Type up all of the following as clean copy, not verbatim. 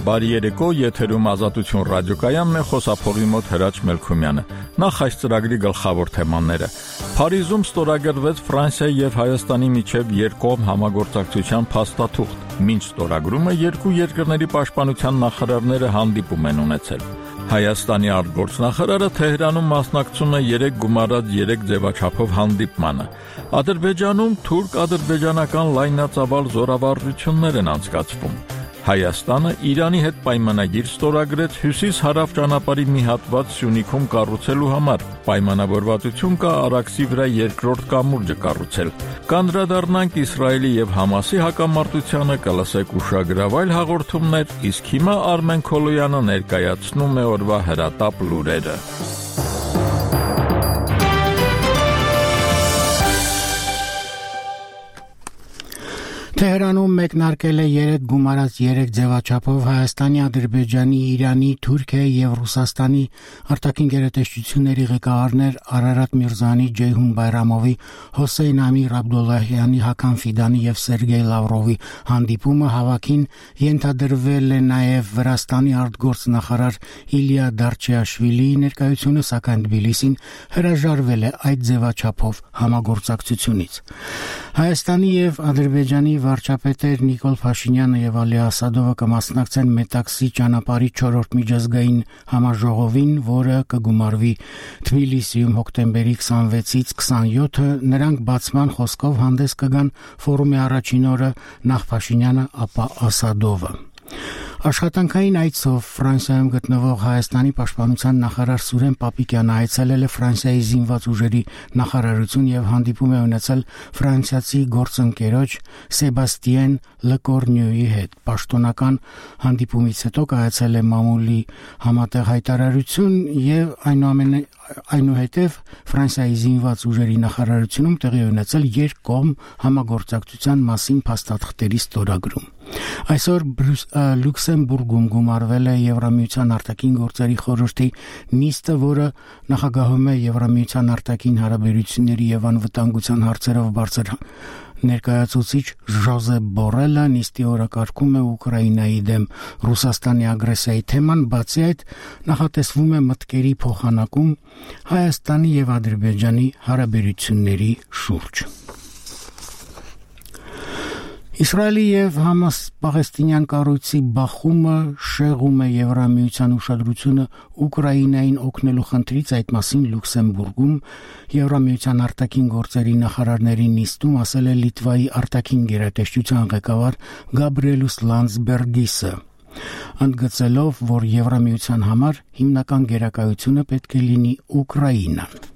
Բարի երեկո, եթերում Ազատություն ռադիոկայանն է, խոսափողի մոտ Հրաչ Մելքումյանը։ Նախ այս ծրագրի գլխավոր թեմաները։ Փարիզում ստորագրվեց Ֆրանսիայի եւ Հայաստանի միջև երկկողմ համագործակցության փաստաթուղթ։ Մինչ ստորագրումը երկու երկրների պաշտպանության նախարարները հանդիպում են ունեցել։ Հայաստանի արտգործնախարարը Թեհրանում մասնակցում է 3 գումարած 3 ձևաչափով հանդիպմանը։ Ադրբեջանում թուրք-ադրբեջանական լայնածավալ զորավարժություններ են անցկացվում։ Հայաստանը Իրանի հետ պայմանագիր ստորագրեց հյուսիս-հարավ ճանապարհի մի հատված Սյունիքում կառուցելու համար։ Պայմանավորվածություն կա Արաքսի վրա երկրորդ կամուրջը կառուցել։ Կանդրադառնանք Իսրայելի եւ Համասի հակամարտությանը, կլսեք ուշագրավ այլ հաղորդումներ, իսկ հիմա Արմեն Քոլոյանը ներկայացնում է օրվա հրատապ լուրերը։ Թեհրանում մեկնարկել է 3 գումարած 3 ձևաչափով Հայաստանի, Ադրբեջանի, Իրանի, Թուրքիայի եւ Ռուսաստանի արտաքին գերատեսչությունների ղեկավարներ Արարատ Միրզոյանի, Ջեյհուն Բայրամովի, Հոսեյն Ամիր Աբդոլլահյանի, Հական Ֆիդանի եւ Սերգեյ Լավրովի հանդիպումը հավաքին ենթադրվել է նաեւ Վրաստանի արտգործնախարար Իլիա Դարչեաշվիլիի ներկայությունը, սակայն Թբիլիսին հրաժարվել է այդ ձևաչափով համագործակցությունից։ Հայաստանի եւ Ադրբեջանի վարչապետեր Նիկոլ Փաշինյանը եւ Ալի Ասադովը կմասնակցեն Մետաքսի ճանապարհի 4-րդ միջազգային համաժողովին, որը կգումարվի Թբիլիսիում հոկտեմբերի 26-ից 27-ը։ Նրանք բացման խոսքով հանդես կգան ֆորումի առաջին օրը, նախ Փաշինյանը, ապա Ասադովը։ Աշխատանքային այցով Ֆրանսիայում գտնվող Հայաստանի պաշտպանության նախարար Սուրեն Պապիկյանը այցելել է Ֆրանսիայի զինված ուժերի նախարարություն եւ հանդիպում է ունեցել ֆրանսիացի գործընկերոջ Սեբաստիեն Լեկորնյուի հետ։ Պաշտոնական հանդիպումից հետո կայացել է մամուլի համատեղ հայտարարություն եւ այնուհետև Ֆրանսիայի զինված ուժերի նախարարությունում տեղի ունեցել երկկողմ համագործակցության մասին փաստաթղթերի ստորագրում։ Այսօր Լյուքսեմբուրգում գումարվել է Եվրամիության արտաքին գործերի խորհրդի նիստը, որը նախագահում է Եվրամիության արտաքին հարաբերությունների եւ անվտանգության հարցերով բարձր ներկայացուցիչ Ժոզեփ Բորելը։ Նիստի օրակարգում է Ուկրաինայի դեմ Ռուսաստանի ագրեսիայի թեման, բացի այդ նախատեսվում է մտքերի փոխանակում Հայաստանի եւ Ադրբեջանի հարաբերությունների շուրջ։ Իսրայելի եւ Համաս պաղեստինյան կառույցի բախումը շեղում է Եվրամիության ուշադրությունը Ուկրաինային օգնելու խնդրից, այդ մասին Լյուքսեմբուրգում Եվրամիության արտաքին գործերի նախարարների նիստում ասել է Լիտվայի արտաքին գերատեսչության ղեկավար Գաբրիելուս Լանdsբերգիսը, ընդգծելով, որ Եվրամիության համար հիմնական գերակայությունը պետք է լինի Ուկրաինան։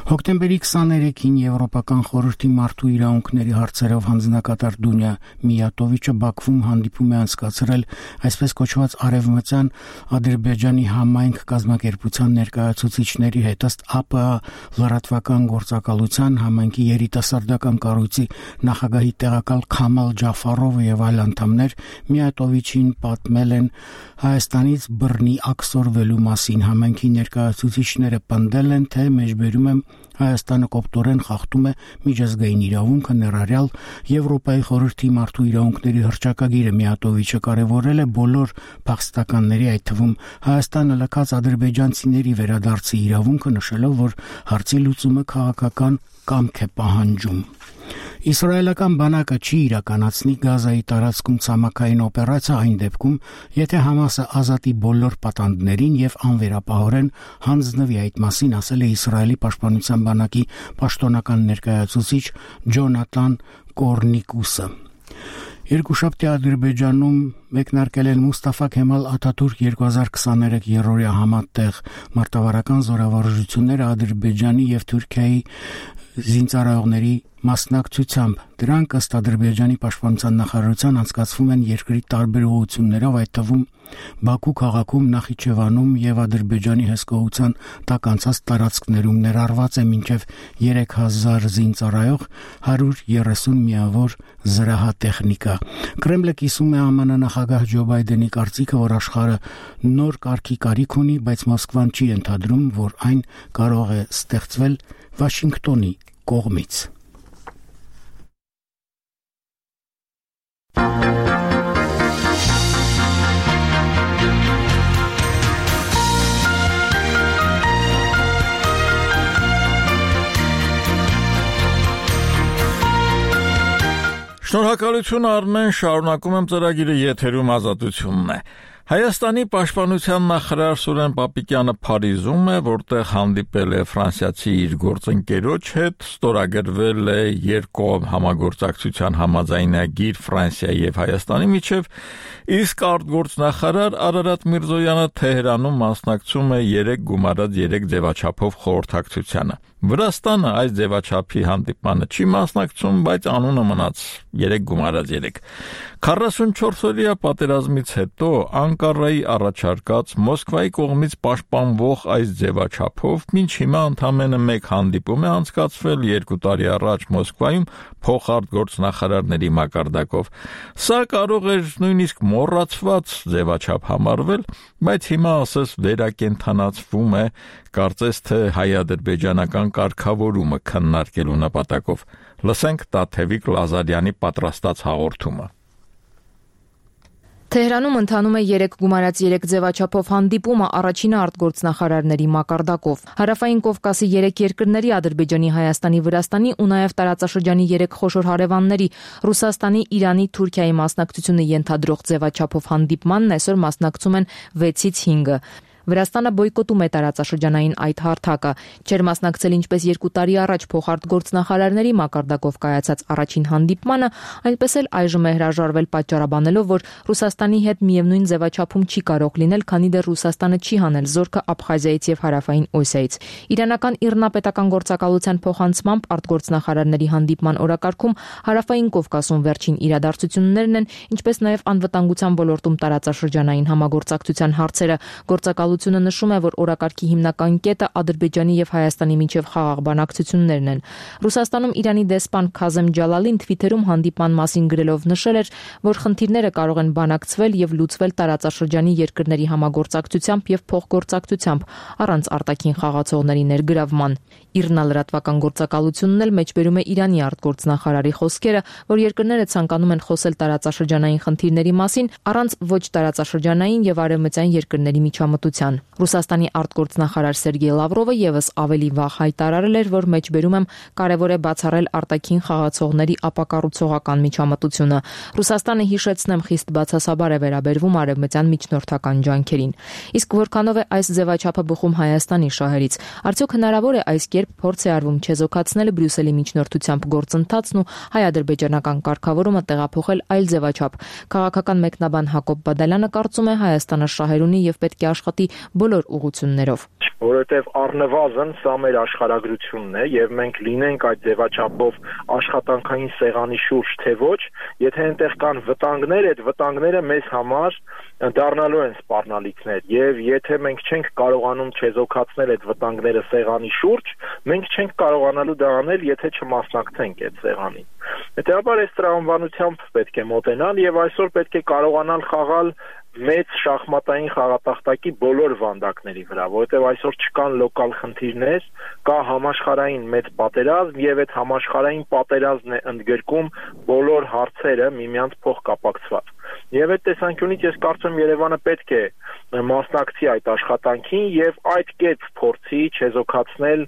Հոկտեմբերի 23-ին Եվրոպական խորհրդի մարդու իրավունքների հարցերով հանձնակատար Դունյա Միյատովիչը Բաքվում հանդիպում է անցկացրել այսպես կոչված արևմտյան Ադրբեջանի համայնք կազմակերպության ներկայացուցիչների հետ։ Ըստ ԱՊԱ լրատվական գործակալության համայնքի երիտասարդական կառույցի նախագահի տեղակալ Քամալ Ջաֆարովը եւ այլ անդամներ Միյատովիչին պատմել են Հայաստանից բռնի աքսորվելու մասին։ Համայնքի ներկայացուցիչները պնդել են, թե մեջբերում են Հայաստանը կոպտորեն խախտում է միջազգային իրավունքը, ներառյալ Եվրոպայի խորհրդի մարդու իրավունքների հռչակագիրը։ Միյատովիչը կարևորել է բոլոր փախստականների, այդ թվում Հայաստանը լքած ադրբեջանցիների վերադարձի իրավունքը, նշելով, որ հարցի լուծումը քաղաքական կամք է պահանջում։ Իսրայելական բանակը չի իրականացնի Գազայի տարածքում ցամաքային օպերացիա այն դեպքում, եթե Համասը ազատի բոլոր պատանդներին եւ անվերապահորեն հանձնվի։ Այդ մասին ասել է Իսրայելի պաշտպանության բանակի պաշտոնական ներկայացուցիչ Ջոնաթան Կորնիկուսը։ Երկուշաբթի Ադրբեջանում մեկնարկել են Մուստաֆա Քեմալ Աթաթուրք 2023 երրորդյա համատեղ մարտավարական զորավարժությունները Ադրբեջանի եւ Թուրքիայի զինծառայողների մասնակցությամբ։ Դրանք ըստ Ադրբեջանի պաշտպանության նախարարության անցկացվում են երկրի տարբեր ուղղություններով, այդ թվում Բաքու քաղաքում, Նախիջևանում եւ Ադրբեջանի հսկողության տակ անցած տարածքներում ներառված է մինչև 3000 զինծառայող, 130 միավոր զրահատեխնիկա։ Կրեմլը կիսում է ԱՄՆ նախագահ Ջո Բայդենի կարծիքը, որ աշխարհը նոր կարգի կարիք ունի, բայց Մոսկվան չի ընդհանրում, որ այն կարող է ստեղծվել Վաշինգտոնի կողմից։ Շնորհակալություն Արմեն, շարունակում եմ ծրագիրը, եթերում Ազատությունն է։ Հայաստանի պաշտպանության նախարար Սուրեն Պապիկյանը Փարիզում է, որտեղ հանդիպել է ֆրանսիացի իր գործընկերոջ հետ, ստորագրվել է երկկողմ համագործակցության համաձայնագիր Ֆրանսիայի եւ Հայաստանի միջև, իսկ արտգործնախարար Արարատ Միրզոյանը Թեհրանում մասնակցում է 3+3 ձևաչափով խորհրդակցությանը։ Վրաստանը այս ձևաչափի հանդիպմանը չի մասնակցում, բայց անունը մնաց 3+3։ 44 օրյա պատերազմից հետո Անկարայի առաջարկած Մոսկվայի կողմից պաշտպանվող այս ձևաչափով մինչ հիմա ընդամենը մեկ հանդիպում է անցկացվել 2 տարի առաջ Մոսկվայում փոխարտգործնախարարների մակարդակով։ Սա կարող էր նույնիսկ մոռացված ձևաչափ համարվել, բայց հիմա ասես վերակենդանացվում է, կարծես թե հայ-ադրբեջանական կարգավորումը քննարկելու նպատակով։ Լսենք Տաթևիկ Լազարյանի պատրաստած հաղորդումը։ Թեհրանում ընթանում է 3+3 ձևաչափով հանդիպումը առաջինը արտգործնախարարների մակարդակով։ Հարավային Կովկասի 3 երկրների Ադրբեջանի, Հայաստանի, Վրաստանի ու նաև տարածաշրջանի 3 խոշոր հարևանների Ռուսաստանի, Իրանի, Թուրքիայի մասնակցությունը ենթադրող ձևաչափով հանդիպմանն այսօր մասնակցում են 6-ից 5-ը։ Վրաստանը բոյկոտում է տարածաշրջանային այդ հարթակը, չէր մասնակցել ինչպես 2 տարի առաջ փոխարտգործնախարարների մակարդակով կայացած առաջին հանդիպմանը, այնպես էլ այժմ է հրաժարվել պատճառաբանելով, որ Ռուսաստանի հետ միևնույն ձևաչափում չի կարող լինել, քանի դեռ Ռուսաստանը չի հանել զորքը Աբխազիայից եւ Հարավային Օսիայից։ Իրանական իռնապետական գործակալության փոխանցմամբ արտգործնախարարների հանդիպման օրակարգում Հարավային Կովկասում վերջին իրադարձություններն են, ինչպես նաև անվտանգության ոլորտում տարածաշրջանային համագործակցության հարցերը։ Գործակալությունը նշում է, որ օրակարգի հիմնական կետը Ադրբեջանի եւ Հայաստանի միջև խաղաղ բանակցություններն են։ Ռուսաստանում Իրանի դեսպան Քազեմ Ջալալին Թվիթերում հանդիպման մասին գրելով նշել էր, որ խնդիրները կարող են բանակցվել եւ լուծվել տարածաշրջանի երկրների համագործակցությամբ եւ փոխգործակցությամբ առանց արտաքին խաղացողների ներգրավման։ Իռնալրատվական գործակալությունն էլ մեջբերում է Իրանի արտգործնախարարի խոսքերը, որ երկրները ցանկանում են խոսել տարածաշրջանային խնդիրների մասին առանց ոչ տարածաշրջանային եւ արևմտյան երկրների միջամտության։ Ռուսաստանի արտգործնախարար Սերգեյ Լավրովը եւս ավելի վաղ հայտարարել էր, որ մեջբերում եմ կարևոր է բացառել արտաքին խաղացողների ապակառուցողական միջամտությունը։ Ռուսաստանը, հիշեցնեմ, խիստ բացասաբար է վերաբերվում արևմտյան միջնորդական ջանքերին։ Իսկ որքանով է այս ձևաչափը բխում Հայաստանի շահերից, արդյոք հնարավոր է այս կերպ փորձ է արվում չեզոքացնել Բրյուսելի միջնորդությամբ գործընթացն ու հայ-ադրբեջանական կարգավորումը տեղափոխել այլ ձևաչափ։ Քաղաքական մեկնաբան Հակոբ Բադալյանը կարծում է Հայաստանը շահեր ունի եւ պետք է աշխատի բոլոր ուղղություններով։ Որովհետև առնվազն սա մեր աշխարհագրությունն է եւ մենք լինենք այդ ձևաչափով աշխատանքային սեղանի շուրջ թե ոչ, եթե այնտեղ կան վտանգներ, այդ վտանգները մեզ համար դառնալու են սպառնալիքներ եւ եթե մենք չենք կարողանում չեզոքացնել այդ վտանգները սեղանի շուրջ, մենք չենք կարողանալու դա անել, եթե չմասնակցենք այդ սեղանին։ Հետեւաբար այս տրամաբանությամբ պետք է մոտենալ եւ այսօր պետք է կարողանալ խաղալ մեծ շախմատային խաղատախտակի բոլոր վանդակների վրա, որովհետև այսօր չկան լոկալ խնդիրներ, կա համաշխարհային մեծ պատերազմ եւ այդ համաշխարհային պատերազմն է ընդգրկում բոլոր հարցերը միմյանց փոխկապակցված։ Եվ այդ տեսանկյունից ես կարծում Երևանը պետք է մասնակցի այդ աշխատանքին եւ այդ կերպ փորձի չեզոքացնել,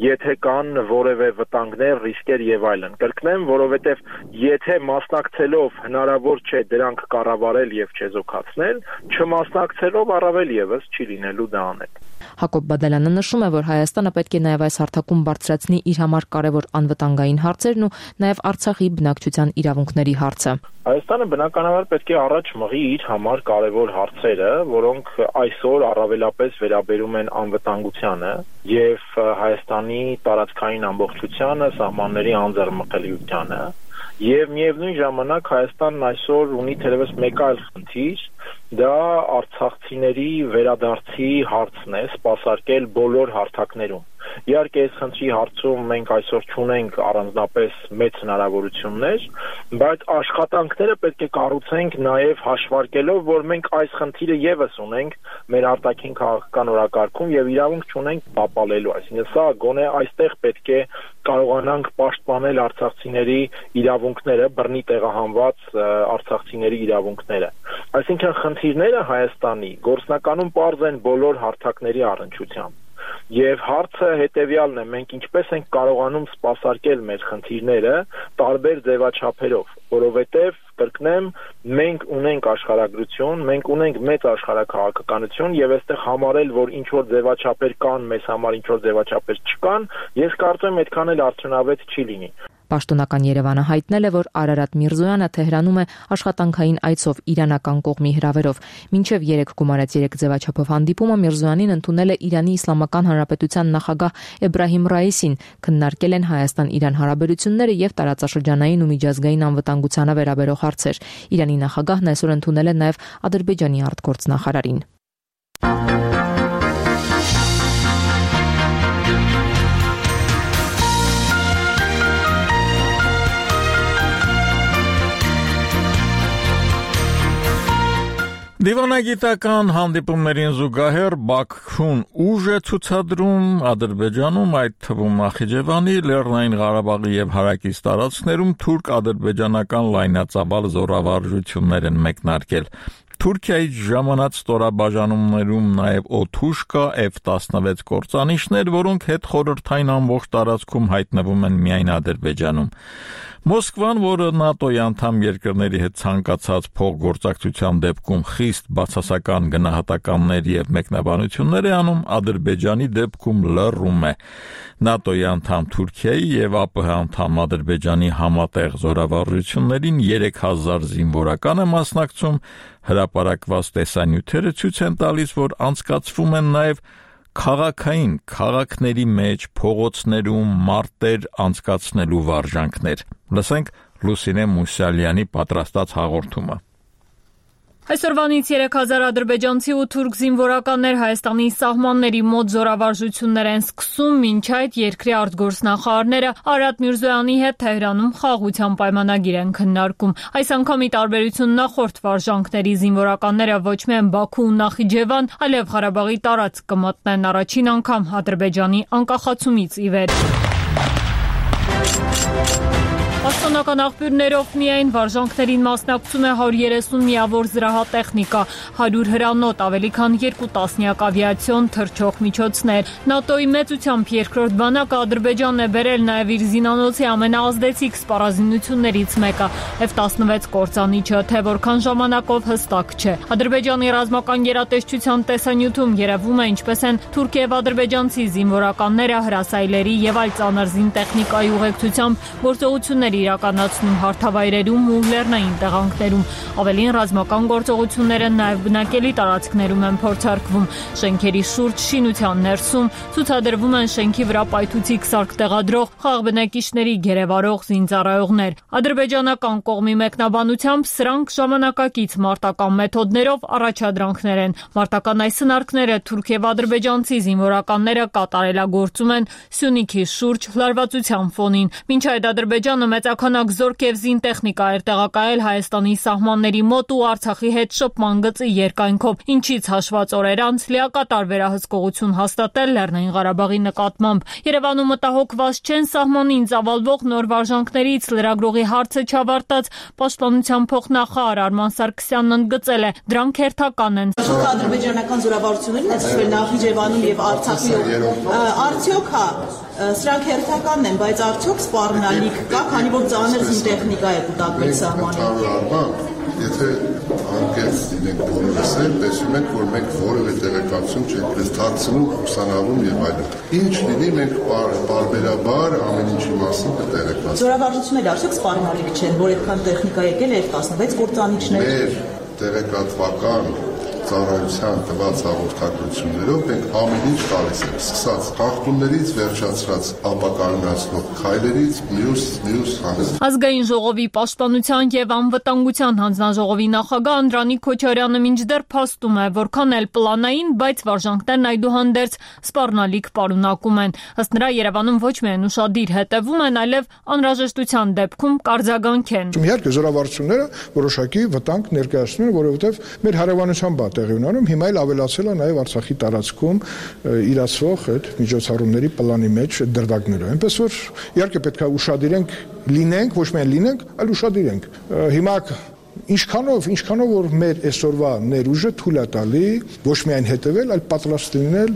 եթե կան որևէ վտանգներ, ռիսկեր եւ այլն։ Կրկնեմ, որովհետեւ եթե մասնակցելով հնարավոր չէ դրանք կառավարել եւ չեզոքացնել, չմասնակցելով առավել եւս չի լինելու դա անել։ Հակոբ Բադալյանը նշում է, որ Հայաստանը պետք է նաև այս հարթակում բարձրացնի իր համար կարևոր անվտանգային հարցերն ու նաև Արցախի բնակչության իրավունքների հարցը։ Հայաստանը բնականաբար պետք է առաջ մղի իր համար կարևոր հարցերը, որոնք այսօր առավելապես վերաբերում են անվտանգությանը եւ Հայաստանի տարածքային ամբողջությանը, սահմանների անձեռնմխելիությանը։ Եվ միևնույն ժամանակ Հայաստանն այսօր ունի թերևս մեկ այլ խնդիր, դա արցախցիների վերադարձի հարցն է, սպասարկել բոլոր հարթակներում։ Իհարկե այս խնդրի հարցում մենք այսօր չունենք առանձնապես մեծ հնարավորություններ, բայց աշխատանքները պետք է կառուցենք նաև հաշվարկելով, որ մենք այս խնդիրը եւս ունենք մեր արտաքին քաղաքական օրակարգում եւ իրավունք չունենք տապալելու, այսինքն սա գոնե այստեղ պետք է կարողանանք պաշտպանել արցախցիների իրավունքները, բռնի տեղահանված արցախցիների իրավունքները։ Այսինքն խնդիրները Հայաստանի գործնականում պարզ են բոլոր հարթակների առնչությամբ։ Եվ հարցը հետեւյալն է. մենք ինչպես ենք կարողանում սպասարկել մեր խնդիրները տարբեր ձևաչափերով, որովհետև կրկնեմ, մենք ունենք աշխարհագրություն, մենք ունենք մեծ աշխարհաքաղաքականություն եւ այստեղ համարել, որ ինչ որ ձևաչափեր կան, մեզ համար ինչ որ ձևաչափեր չկան, ես կարծում եմ այդքան էլ արդյունավետ չի լինի։ Պաշտոնական Երևանը հայտնել է, որ Արարատ Միրզոյանը Թեհրանում է աշխատանքային այցով իրանական կողմի հրավերով։ Մինչև 3 գումարած 3 ձևաչափով հանդիպումը Միրզոյանին ընդունել է Իրանի Իսլամական Հանրապետության նախագահ Էբրահիմ Ռայիսին, քննարկել են Հայաստան-Իրան հարաբերությունները եւ տարածաշրջանային ու միջազգային անվտանգությանը վերաբերող հարցեր։ Իրանի նախագահն այսօր ընդունել է նաեւ Ադրբեջանի արտգործնախարարին։ Դիվանագիտական հանդիպումներին զուգահեռ Բաքուն ուժ է ցուցադրում Ադրբեջանում, այդ թվում Նախիջևանի, Լեռնային Ղարաբաղի եւ հարակից տարածքներում թուրք-ադրբեջանական լայնածավալ զորավարժություններ են մեկնարկել։ Թուրքիայից ժամանած ստորաբաժանումներում նաև օդուժ կա F-16 կործանիչներ, որոնք հետխորհրդային ամբողջ տարածքում հայտնվում են միայն Ադրբեջանում։ Մոսկվան, որը ՆԱՏՕ-ի անդամ երկրների հետ ցանկացած փոխգործակցության դեպքում խիստ բացասական գնահատականներ եւ մեկնաբանություններ է անում, Ադրբեջանի դեպքում լռում է։ ՆԱՏՕ-ի անդամ Թուրքիայի եւ ԱՊՀ անդամ Ադրբեջանի համատեղ զորավարժություններին 3000 զինվորական է մասնակցում, հրապարակված տեսանյութերը ցույց են տալիս, որ անցկացվում են նաեւ քաղաքային քաղաքների մեջ փողոցներում մարտեր անցկացնելու վարժանքներ։ Լսենք Լուսինե Մուսալյանի պատրաստած հաղորդումը։ Այսօրվանից 3000 ադրբեջանցի ու թուրք զինվորականներ Հայաստանի սահմանների մոտ զորավարժություններ են սկսում, մինչ այդ երկրի արտգործնախարարները Արարատ Միրզոյանի հետ Թեհրանում խաղաղության պայմանագիր են քննարկում։ Այս անգամի տարբերություն նախորդ վարժանքների զինվորականները ոչ միայն Բաքու ու Նախիջևան, այլև Ղարաբաղի տարածք կմտնեն առաջին անգամ Ադրբեջանի անկախացումից ի վեր։ Պաշտոնական աղբյուրներով միայն վարժանքներին մասնակցում է 130 միավոր զրահատեխնիկա, 100 հրանոթ, ավելի քան 2 տասնյակ ավիացիոն թռչող միջոցներ։ ՆԱՏՕ-ի մեծությամբ երկրորդ բանակը Ադրբեջանն է բերել նաև իր զինանոցի ամենաազդեցիկ սպառազինություններից մեկը՝ F-16 կործանիչը, թե որքան ժամանակով հստակ չէ։ Ադրբեջանի ռազմական գերատեսչության տեսանյութում երևում է ինչպես են թուրք եւ ադրբեջանցի զինվորականները հրասայլերի եւ այլ ծանր զինտեխնիկայի ուղեկցությամբ գործողություններ իրականացնում հարթավայրերում ու լեռնային տեղանքներում։ Ավելին ռազմական գործողությունները նաև բնակելի տարածքներում են փորձարկվում։ Շենքերի շուրջ շինության ներսում ցուցադրվում են շենքի վրա պայթուցիկ սարք տեղադրող խաղբնակիչների գերեվարող զինծառայողներ։ Ադրբեջանական կողմի մեկնաբանությամբ սրանք ժամանակակից մարտական մեթոդներով առաջադրանքներ են։ Մարտական այս սնարկները թուրք եւ ադրբեջանցի զինվորականները կատարելագործում են Սյունիքի շուրջ լարվածության ֆոնին։ Մինչ այդ Ադրբեջանը մեծականակ զորք եւ զինտեխնիկա էր տեղակայել Հայաստանի սահմանների մոտ ու Արցախի հետ շփման գծի երկայնքով, ինչից հաշված օրեր անց լիակատար վերահսկողություն հաստատել Լեռնային Ղարաբաղի նկատմամբ։ Երևանում մտահոգված չեն սահմանին ծավալվող նոր վարժանքներից լրագրողի հարցը չավարտած պաշտպանության փոխնախարար Արման Սարգսյանն ընդգծել է, դրանք հերթական են։ Ադրբեջանական զորավարություններին այսպես Նախիջևանում եւ Արցախում արդյոք սրանք հերթականն են, բայց արդյոք սպառնալիք կա, քանի որ ծանր զինտեխնիկա է կուտակվել սահմանին։ Եթե անկեղծ լինենք բոլորս էլ, տեսնում ենք, որ մենք որևէ տեղեկատվություն չենք մեզ թաքցնում, ուսանավում եւ այլն։ Ինչ լինի, մենք բարբերաբար ամեն ինչի մասին կտեղեկացնենք։ Զորավարժությունները արդյոք սպառնալիք չեն, որ այդքան տեխնիկա եկել է F-16 կործանիչներ։ Մեր տեղեկատվական ծառայության տված հաղորդագրություններով մենք ամեն ինչ տալիս ենք, սկսած խախտումներից վերջացրած ապակայունացնող քայլերից մյուս հանձ։ Ազգային ժողովի պաշտպանության եւ անվտանգության հանձնաժողովի նախագահ Անդրանիկ Քոչարյանը մինչդեռ փաստում է, որքան էլ պլանային, բայց վարժանքներն այդուհանդերձ սպառնալիք պարունակում են։ Ըստ նրա Երևանում ոչ միայն ուշադիր հետևում են, այլև անհրաժեշտության դեպքում կարձագանք են։ Իհարկե զորավարժությունները որոշակի վտանգ ներկայացնում են, որովհետեւ մեր հարևանությամբ տեղի ունենում, հիմա էլ ավելացել է նաև Արցախի տարածքում իրացվող այդ միջոցառումների պլանի մեջ դրվագները։ Այնպես որ իհարկե պետք է ուշադիր լինենք, ոչ միայն լինենք, այլ ուշադիր ենք։ Հիմա Ինչքանով որ մեր այսօրվա ներուժը թույլ է տալի ոչ միայն հետևել, այլ պատրաստ լինել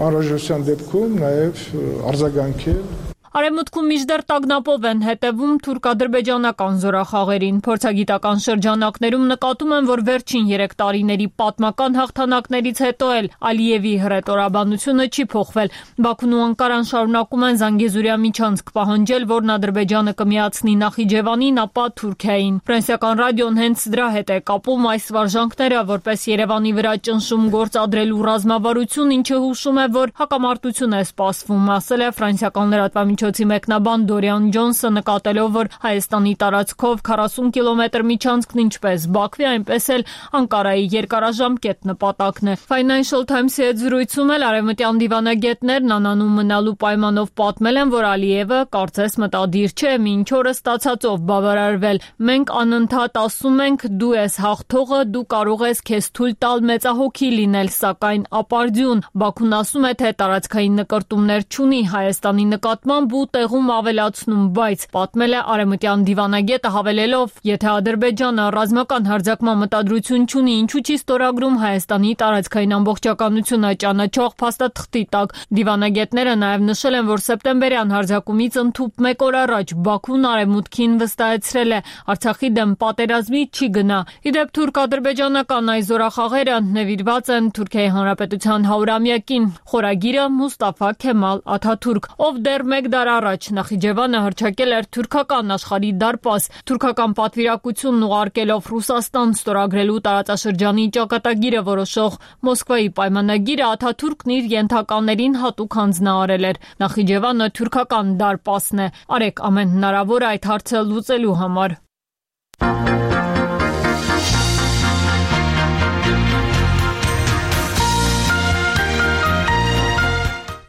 անհրաժեշտության դեպքում նաև արձագանքել։ Արևմուտքում մինչդեռ տագնապով են հետևում թուրք-ադրբեջանական զորախաղերին։ Փորձագիտական շրջանակներում նկատում են, որ վերջին 3 տարիների պատմական հաղթանակներից հետո էլ Ալիևի հռետորաբանությունը չի փոխվել։ Բաքուն ու Անկարան շարունակում են Զանգեզուրյա միջանցք պահանջել, որն Ադրբեջանը կմիացնի Նախիջևանին, ապա Թուրքիային։ Ֆրանսիական ռադիոն հենց դրա հետ է կապում այս վարժանքները, որպես Երևանի վրա ճնշում գործադրելու ռազմավարություն, ինչը հուշում է, որ հակամարտություն է սպասվում, ասել է ֆրանսիական լրատվամիջոցի մեկնաբան Դորիան Ջոնսը, նկատելով, որ Հայաստանի տարածքով 40 կիլոմետր միջանցքն ինչպես Բաքվի, այնպես էլ Անկարայի երկարաժամկետ նպատակն է։ Financial Times-ի հետ զրույցում էլ արևմտյան դիվանագետներն անանուն մնալու պայմանով պատմել են, որ Ալիևը կարծես մտադիր չէ մինչ օրը ստացածով բավարարվել։ Մենք անընդհատ ասում ենք, դու ես հաղթողը, դու կարող ես քեզ թույլ տալ մեծահոգի լինել, սակայն ապարդյուն։ Բաքուն ասում է, թե տարածքային նկրտումներ չունի Հայաստանի նկատմամբ ու տեղում ավելացնում, բայց պատմել է արևմտյան դիվանագետը, հավելելով, եթե Ադրբեջանը ռազմական հարձակման մտադրություն չունի, ինչու չի ստորագրում Հայաստանի տարածքային ամբողջականությունը ճանաչող փաստաթղթի տակ։ Դիվանագետները նաև նշել են, որ սեպտեմբերյան հարձակումից ընդհուպ 1 օր առաջ Բաքուն արևմուտքին վստահեցրել է, Արցախի դեմ պատերազմի չի գնա։ Իդեպ թուրք-ադրբեջանական այս զորախաղերը նվիրված են Թուրքիայի Հանրապետության 100-ամյակին։ Խորագիրը Մուստաֆա Քեմալ Աթաթուրք, ով դեռ 1 դար առաջ Նախիջևանը հռչակել էր թուրքական աշխարհի դարպաս, թուրքական պատվիրակությունն ուղարկելով Ռուսաստան ստորագրելու տարածաշրջանի ճակատագիրը որոշող Մոսկվայի պայմանագիրը, Աթաթուրքն իր ենթականերին հատուկ հանձնարարել էր։ Նախիջևանը թուրքական դարպասն է։ Արեք ամեն հնարավոր այդ հարցը լուծելու համար։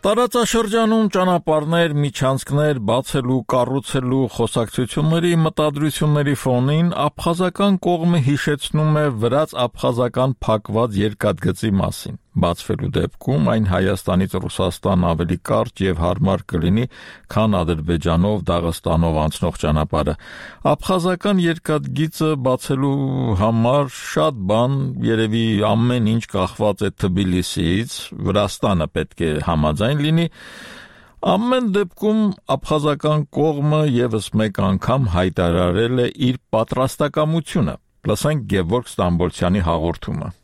Տարածաշրջանում ճանապարհներ, միջանցքներ բացելու, կառուցելու խոսակցությունների մտադրությունների ֆոնին աբխազական կողմը հիշեցնում է վրաց-աբխազական փակված երկաթգծի մասին։ Բացվելու դեպքում այն Հայաստանից Ռուսաստան ավելի կարճ եւ հարմար կլինի, քան Ադրբեջանով, Դաղստանով անցնող ճանապարհը։ Աբխազական երկաթգիծը բացելու համար շատ բան, երևի ամեն ինչ կախված է Թբիլիսիից, Վրաստանը պետք է համաձայն լինի։ Ամեն դեպքում աբխազական կողմը եւս մեկ անգամ հայտարարել է իր պատրաստակամությունը։ Լսենք Գևորգ Ստամբոլցյանի հաղորդումը։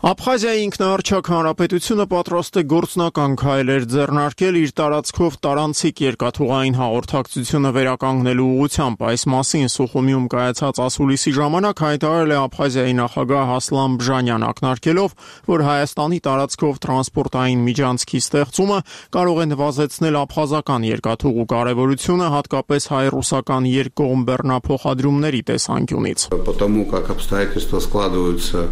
Աբխազիայի ինքնահռչակ հանրապետությունը պատրաստ է գործնական քայլեր ձեռնարկել իր տարածքով տարանցիկ երկաթուղային հաղորդակցությունը վերականգնելու ուղղությամբ։ Այս մասին Սուխումիում կայացած ասուլիսի ժամանակ հայտարարել է Աբխազիայի նախագահ Ասլան Բժանյան, ակնարկելով, որ Հայաստանի տարածքով տրանսպորտային միջանցքի ստեղծումը կարող է նվազեցնել աբխազական երկաթուղու կարևորությունը, հատկապես հայ-ռուսական երկկողմ բեռնափոխադրումների տեսանկյունից։ Потому как обстоятельства складываются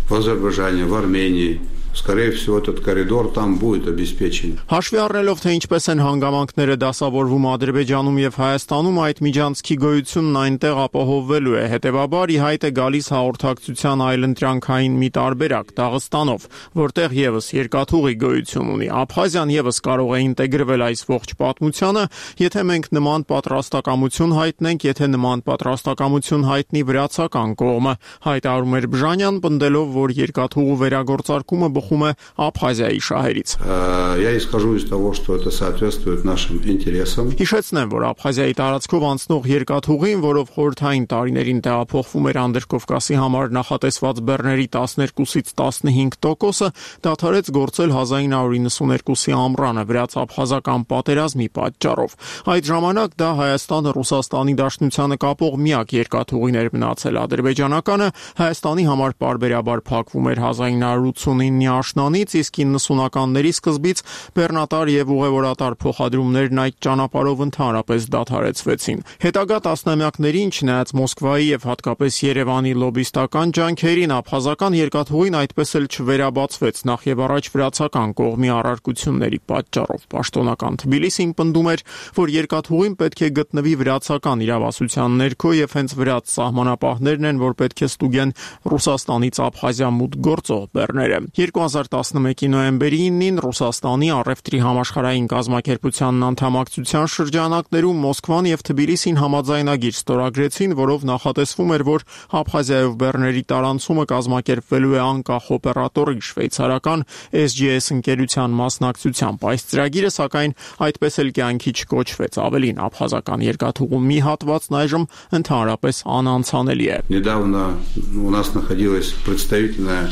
в Азербайджане, в Армении, скорее всего, этот коридор там будет обеспечен. Հաշվի առնելով, թե ինչպես են հանգամանքները դասավորվում Ադրբեջանում եւ Հայաստանում, այդ միջանցքի գոյությունն այնտեղ ապահովվելու է։ Հետևաբար ի հայտ է գալիս հաղորդակցության այլընտրանքային մի տարբերակ Դաղստանով, որտեղ եւս երկաթուղի գոյություն ունի։ Աբխազիան եւս կարող է ինտեգրվել այս ողջ պատմությանը, եթե մենք նման պատրաստակամություն հայտնենք, եթե нման պատրաստակամություն հայտնի վրացական կողմը, հայտարարում էր Բժանյան, պնդելով, որ երկաթուղու վերագործարկումը Աբխազիայի շահերից։ Я исхожу из того, что это соответствует нашим интересам. Հիշեցնեմ, որ Աբխազիայի տարածքով անցնող երկաթուղին, որով խորհրդային տարիներին տեղափոխվում էր Անդրկովկասի համար նախատեսված բեռների 12-ից 15%-ը, դադարեց գործել 1992-ի ամռանը վրաց-աբխազական պատերազմի պատճառով։ Այդ ժամանակ դա Հայաստանը Ռուսաստանի Դաշնությանը կապող միակ երկաթուղին էր մնացել։ Ադրբեջանականը Հայաստանի համար պարբերաբար փակվում էր 1989-ի աշնանից, իսկ 90-ականների սկզբից բեռնատար եւ ուղևորատար փոխադրումներն այդ ճանապարհով ընդհանրապես դադարեցվեցին։ Հետագա տասնամյակներին, չնայած Մոսկվայի եւ հատկապես Երևանի լոբիստական ջանքերին, աբխազական երկաթուղին այդպես էլ չվերաբացվեց, նախ եւ առաջ վրացական կողմի առարկությունների պատճառով։ Պաշտոնական Թբիլիսին պնդում էր, որ երկաթուղին պետք է գտնվի վրացական իրավասության ներքո եւ հենց վրաց սահմանապահներն են, որ պետք է ստուգեն Ռուսաստանից Աբխազիա մուտք գործող բեռները։ 2011-ի նոյեմբերի 9-ին Ռուսաստանի առևտրի համաշխարհային կազմակերպության անդամակցության շրջանակներում Մոսկվան եւ Թբիլիսին համաձայնագիր ստորագրեցին, որով նախատեսվում էր, որ Աբխազիայով բեռների տարանցումը կազմակերպվելու է անկախ օպերատորի շվեյցարական SGS ընկերության մասնակցությամբ։ Այս ծրագիրը, սակայն, այդպես էլ կյանքի չկոչվեց։ Ավելին, աբխազական երկաթուղու մի հատվածն այժմ ընդհանրապես անանցանելի է։ Недавно у нас находилась представительная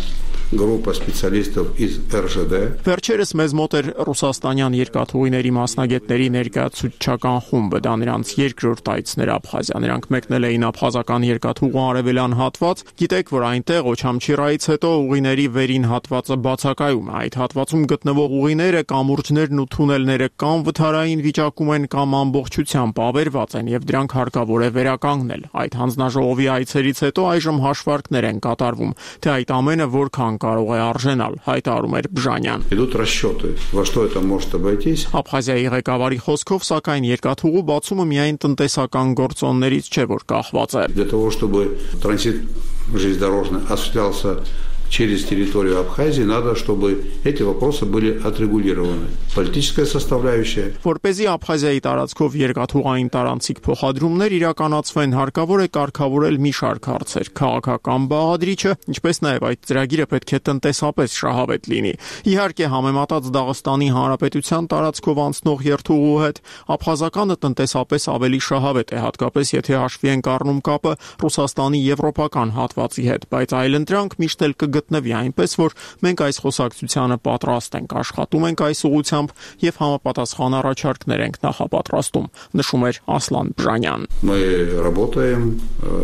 группа специалистов из РЖД. Վերջերս մեզ մոտ էր ռուսաստանյան երկաթուղիների մասնագետների ներկայացուցչական խումբը, դա նրանց երկրորդ այցն էր Աբխազիա։ Նրանք մեկնել էին աբխազական երկաթուղու արևելյան հատված։ Գիտեք, որ այնտեղ Օչամչիրայից հետո ուղիների վերին հատվածը բացակայում է։ Այդ հատվածում գտնվող ուղիները, կամուրջներն ու թունելները կամ վթարային վիճակում են, կամ ամբողջությամբ ավերված են, եւ դրանք հարկավոր է վերականգնել։ Այդ հանձնաժողովի այցերից հետո այժմ հաշվարկներ են կատարվում, թե այդ ամենը որքան կարող է արժենալ, հայտարարում էր Բժանյան։ Идут расчеты, во что это может обойтись. Աբխազիայի ղեկավարի խոսքով, սակայն երկաթուղու բացումը միայն տնտեսական գործոններից չէ, որ կախված է։ Для того, чтобы транзит железнодорожный осуществлялся через территорию Абхазии, надо, чтобы эти вопросы были отрегулированы. Политическая составляющая. Որպեսզի Աբխազիայի տարածքով երկաթուղային տարանցիկ փոխադրումներ իրականացվեն, հարկավոր է կարգավորել մի շարք հարցեր։ Քաղաքական բաղադրիչը, ինչպես նաև այդ ծրագիրը պետք է տնտեսապես շահավետ լինի։ Իհարկե, համեմատած Դաղստանի Հանրապետության տարածքով անցնող երթուղու հետ, աբխազականը տնտեսապես ավելի շահավետ է, հատկապես եթե հաշվի ենք առնում կապը Ռուսաստանի եվրոպական հատվածի հետ, բայց այլընտրանք միշտ էլ գտնվի, այնպես որ մենք այս խոսակցությանը պատրաստ ենք, աշխատում ենք այս ուղղությամբ եւ համապատասխան առաջարկներ ենք նախապատրաստում, նշում էր Ասլան Բժանյան։ Мы работаем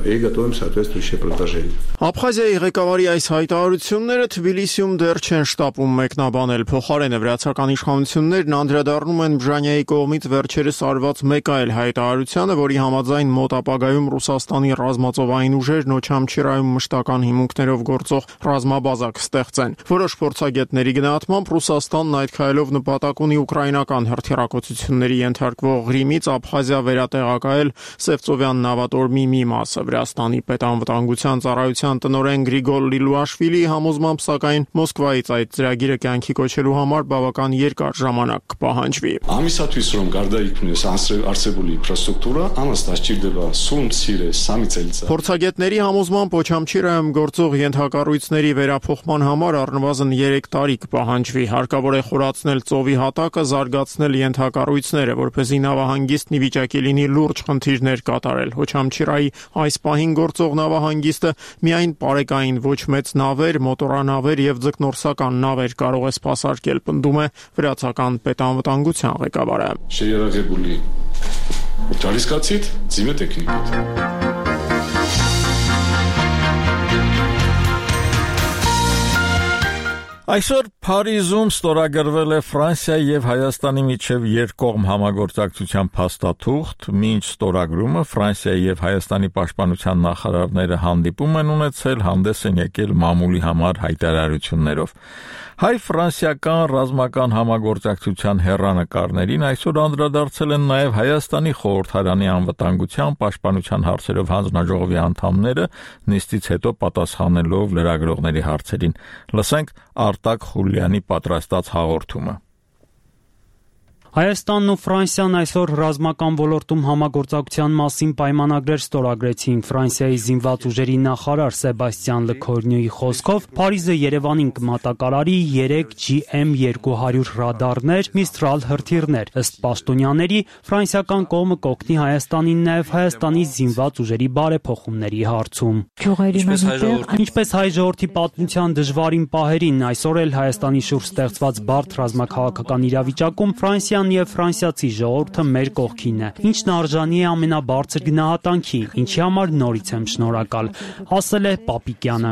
и готовим соответствующие предложения. Աբխազիայի ղեկավարի այս հայտարարությունները Թբիլիսիում դեռ չեն շտապում մեկնաբանել, փոխարենը վրացական իշխանություններն անդրադառնում են Բժանյայի կողմից վերջերս արված մեկ այլ հայտարարությանը, որի համաձայն մոտ ապագայում Ռուսաստանի ռազմածովային ուժերն Օչամչիրայում մշտական հիմունքներով գործող ռազմաբազա կստեղծեն։ Որոշ փորձագետների գնահատմամբ Ռուսաստանն այդ քայլով նպատակ ունի ուկրաինական հրթիռակոծությունների ենթարկվող Ղրիմից Աբխազիա վերատեղակայել Սևծովյան նավատորմի մի մասը։ Վրաստանի պետանվտանգության ծառայության տնօրեն Գրիգոր Լիլուաշվիլիի համոզմամբ, սակայն Մոսկվայից այդ ծրագիրը կյանքի կոչելու համար բավական երկար ժամանակ կպահանջվի։ Ամիսաթույց რომ გარდაიქმნეს არსებული ինֆրաստրուկտուրա, ამას დასჭირდება სულ მცირე 3 წელიწად։ Փորձագետների համոզմամբ Օչամչիրայում գործող ենթակառույցների վերափոխման համար առնվազն 3 տարի կպահանջվի։ Հարկավոր է խորացնել ծովի հատակը, զարգացնել ենթակառույցները, որպեսզի նավահանգիստն ի վիճակի լինի լուրջ խնդիրներ կատարել։ Օչամչիրայի այս պահին գործող նավահանգիստը միայն պարեկային ոչ մեծ նավեր, մոտորանավեր եւ ձկնորսական նավեր կարող է սպասարկել, պնդում է վրացական պետանվտանգության ղեկավարը։ Შეიარაღებული ջարիսկացիդ, ձիմե տեխնիկით։ Այսօր Փարիզում ստորագրվել է Ֆրանսիայի եւ Հայաստանի միջև երկկողմ համագործակցության փաստաթուղթ, մինչ ստորագրումը Ֆրանսիայի եւ Հայաստանի պաշտպանության նախարարները հանդիպում են ունեցել, հանդես են եկել մամուլի համար հայտարարություններով։ Հայ-ֆրանսիական ռազմական համագործակցության հեռանկարներին այսօր անդրադարձել են նաև Հայաստանի խորհրդարանի անվտանգության պաշտպանության հարցերով հանձնաժողովի անդամները, նիստից հետո պատասխանելով լրագրողների հարցերին։ Լսենք Արտակ Խուլյանի պատրաստած հաղորդումը։ Հայաստանն ու Ֆրանսիան այսօր ռազմական ոլորտում համագործակցության մասին պայմանագրեր ստորագրեցին։ Ֆրանսիայի զինված ուժերի նախարար Սեբաստիան Լեքորնյուի խոսքով Փարիզը Երևանին կմատակարարի 3 GM200 ռադարներ, Միստրալ հրթիռներ։ Ըստ պաշտոնյաների, ֆրանսիական կողմը կօգնի Հայաստանին նաև Հայաստանի զինված ուժերի բարեփոխումների հարցում։ Ինչպես հայ ժողովրդի պատմության դժվարին պահերին, այսօր էլ Հայաստանի շուրջ ստեղծված բարդ ռազմաքաղաքական իրավիճակում Ֆրանսիան եւ ֆրանսիացի ժողովուրդը մեր կողքին է, ինչն արժանի է ամենաբարձր գնահատանքի, ինչի համար նորից եմ շնորհակալ, ասել է Պապիկյանը։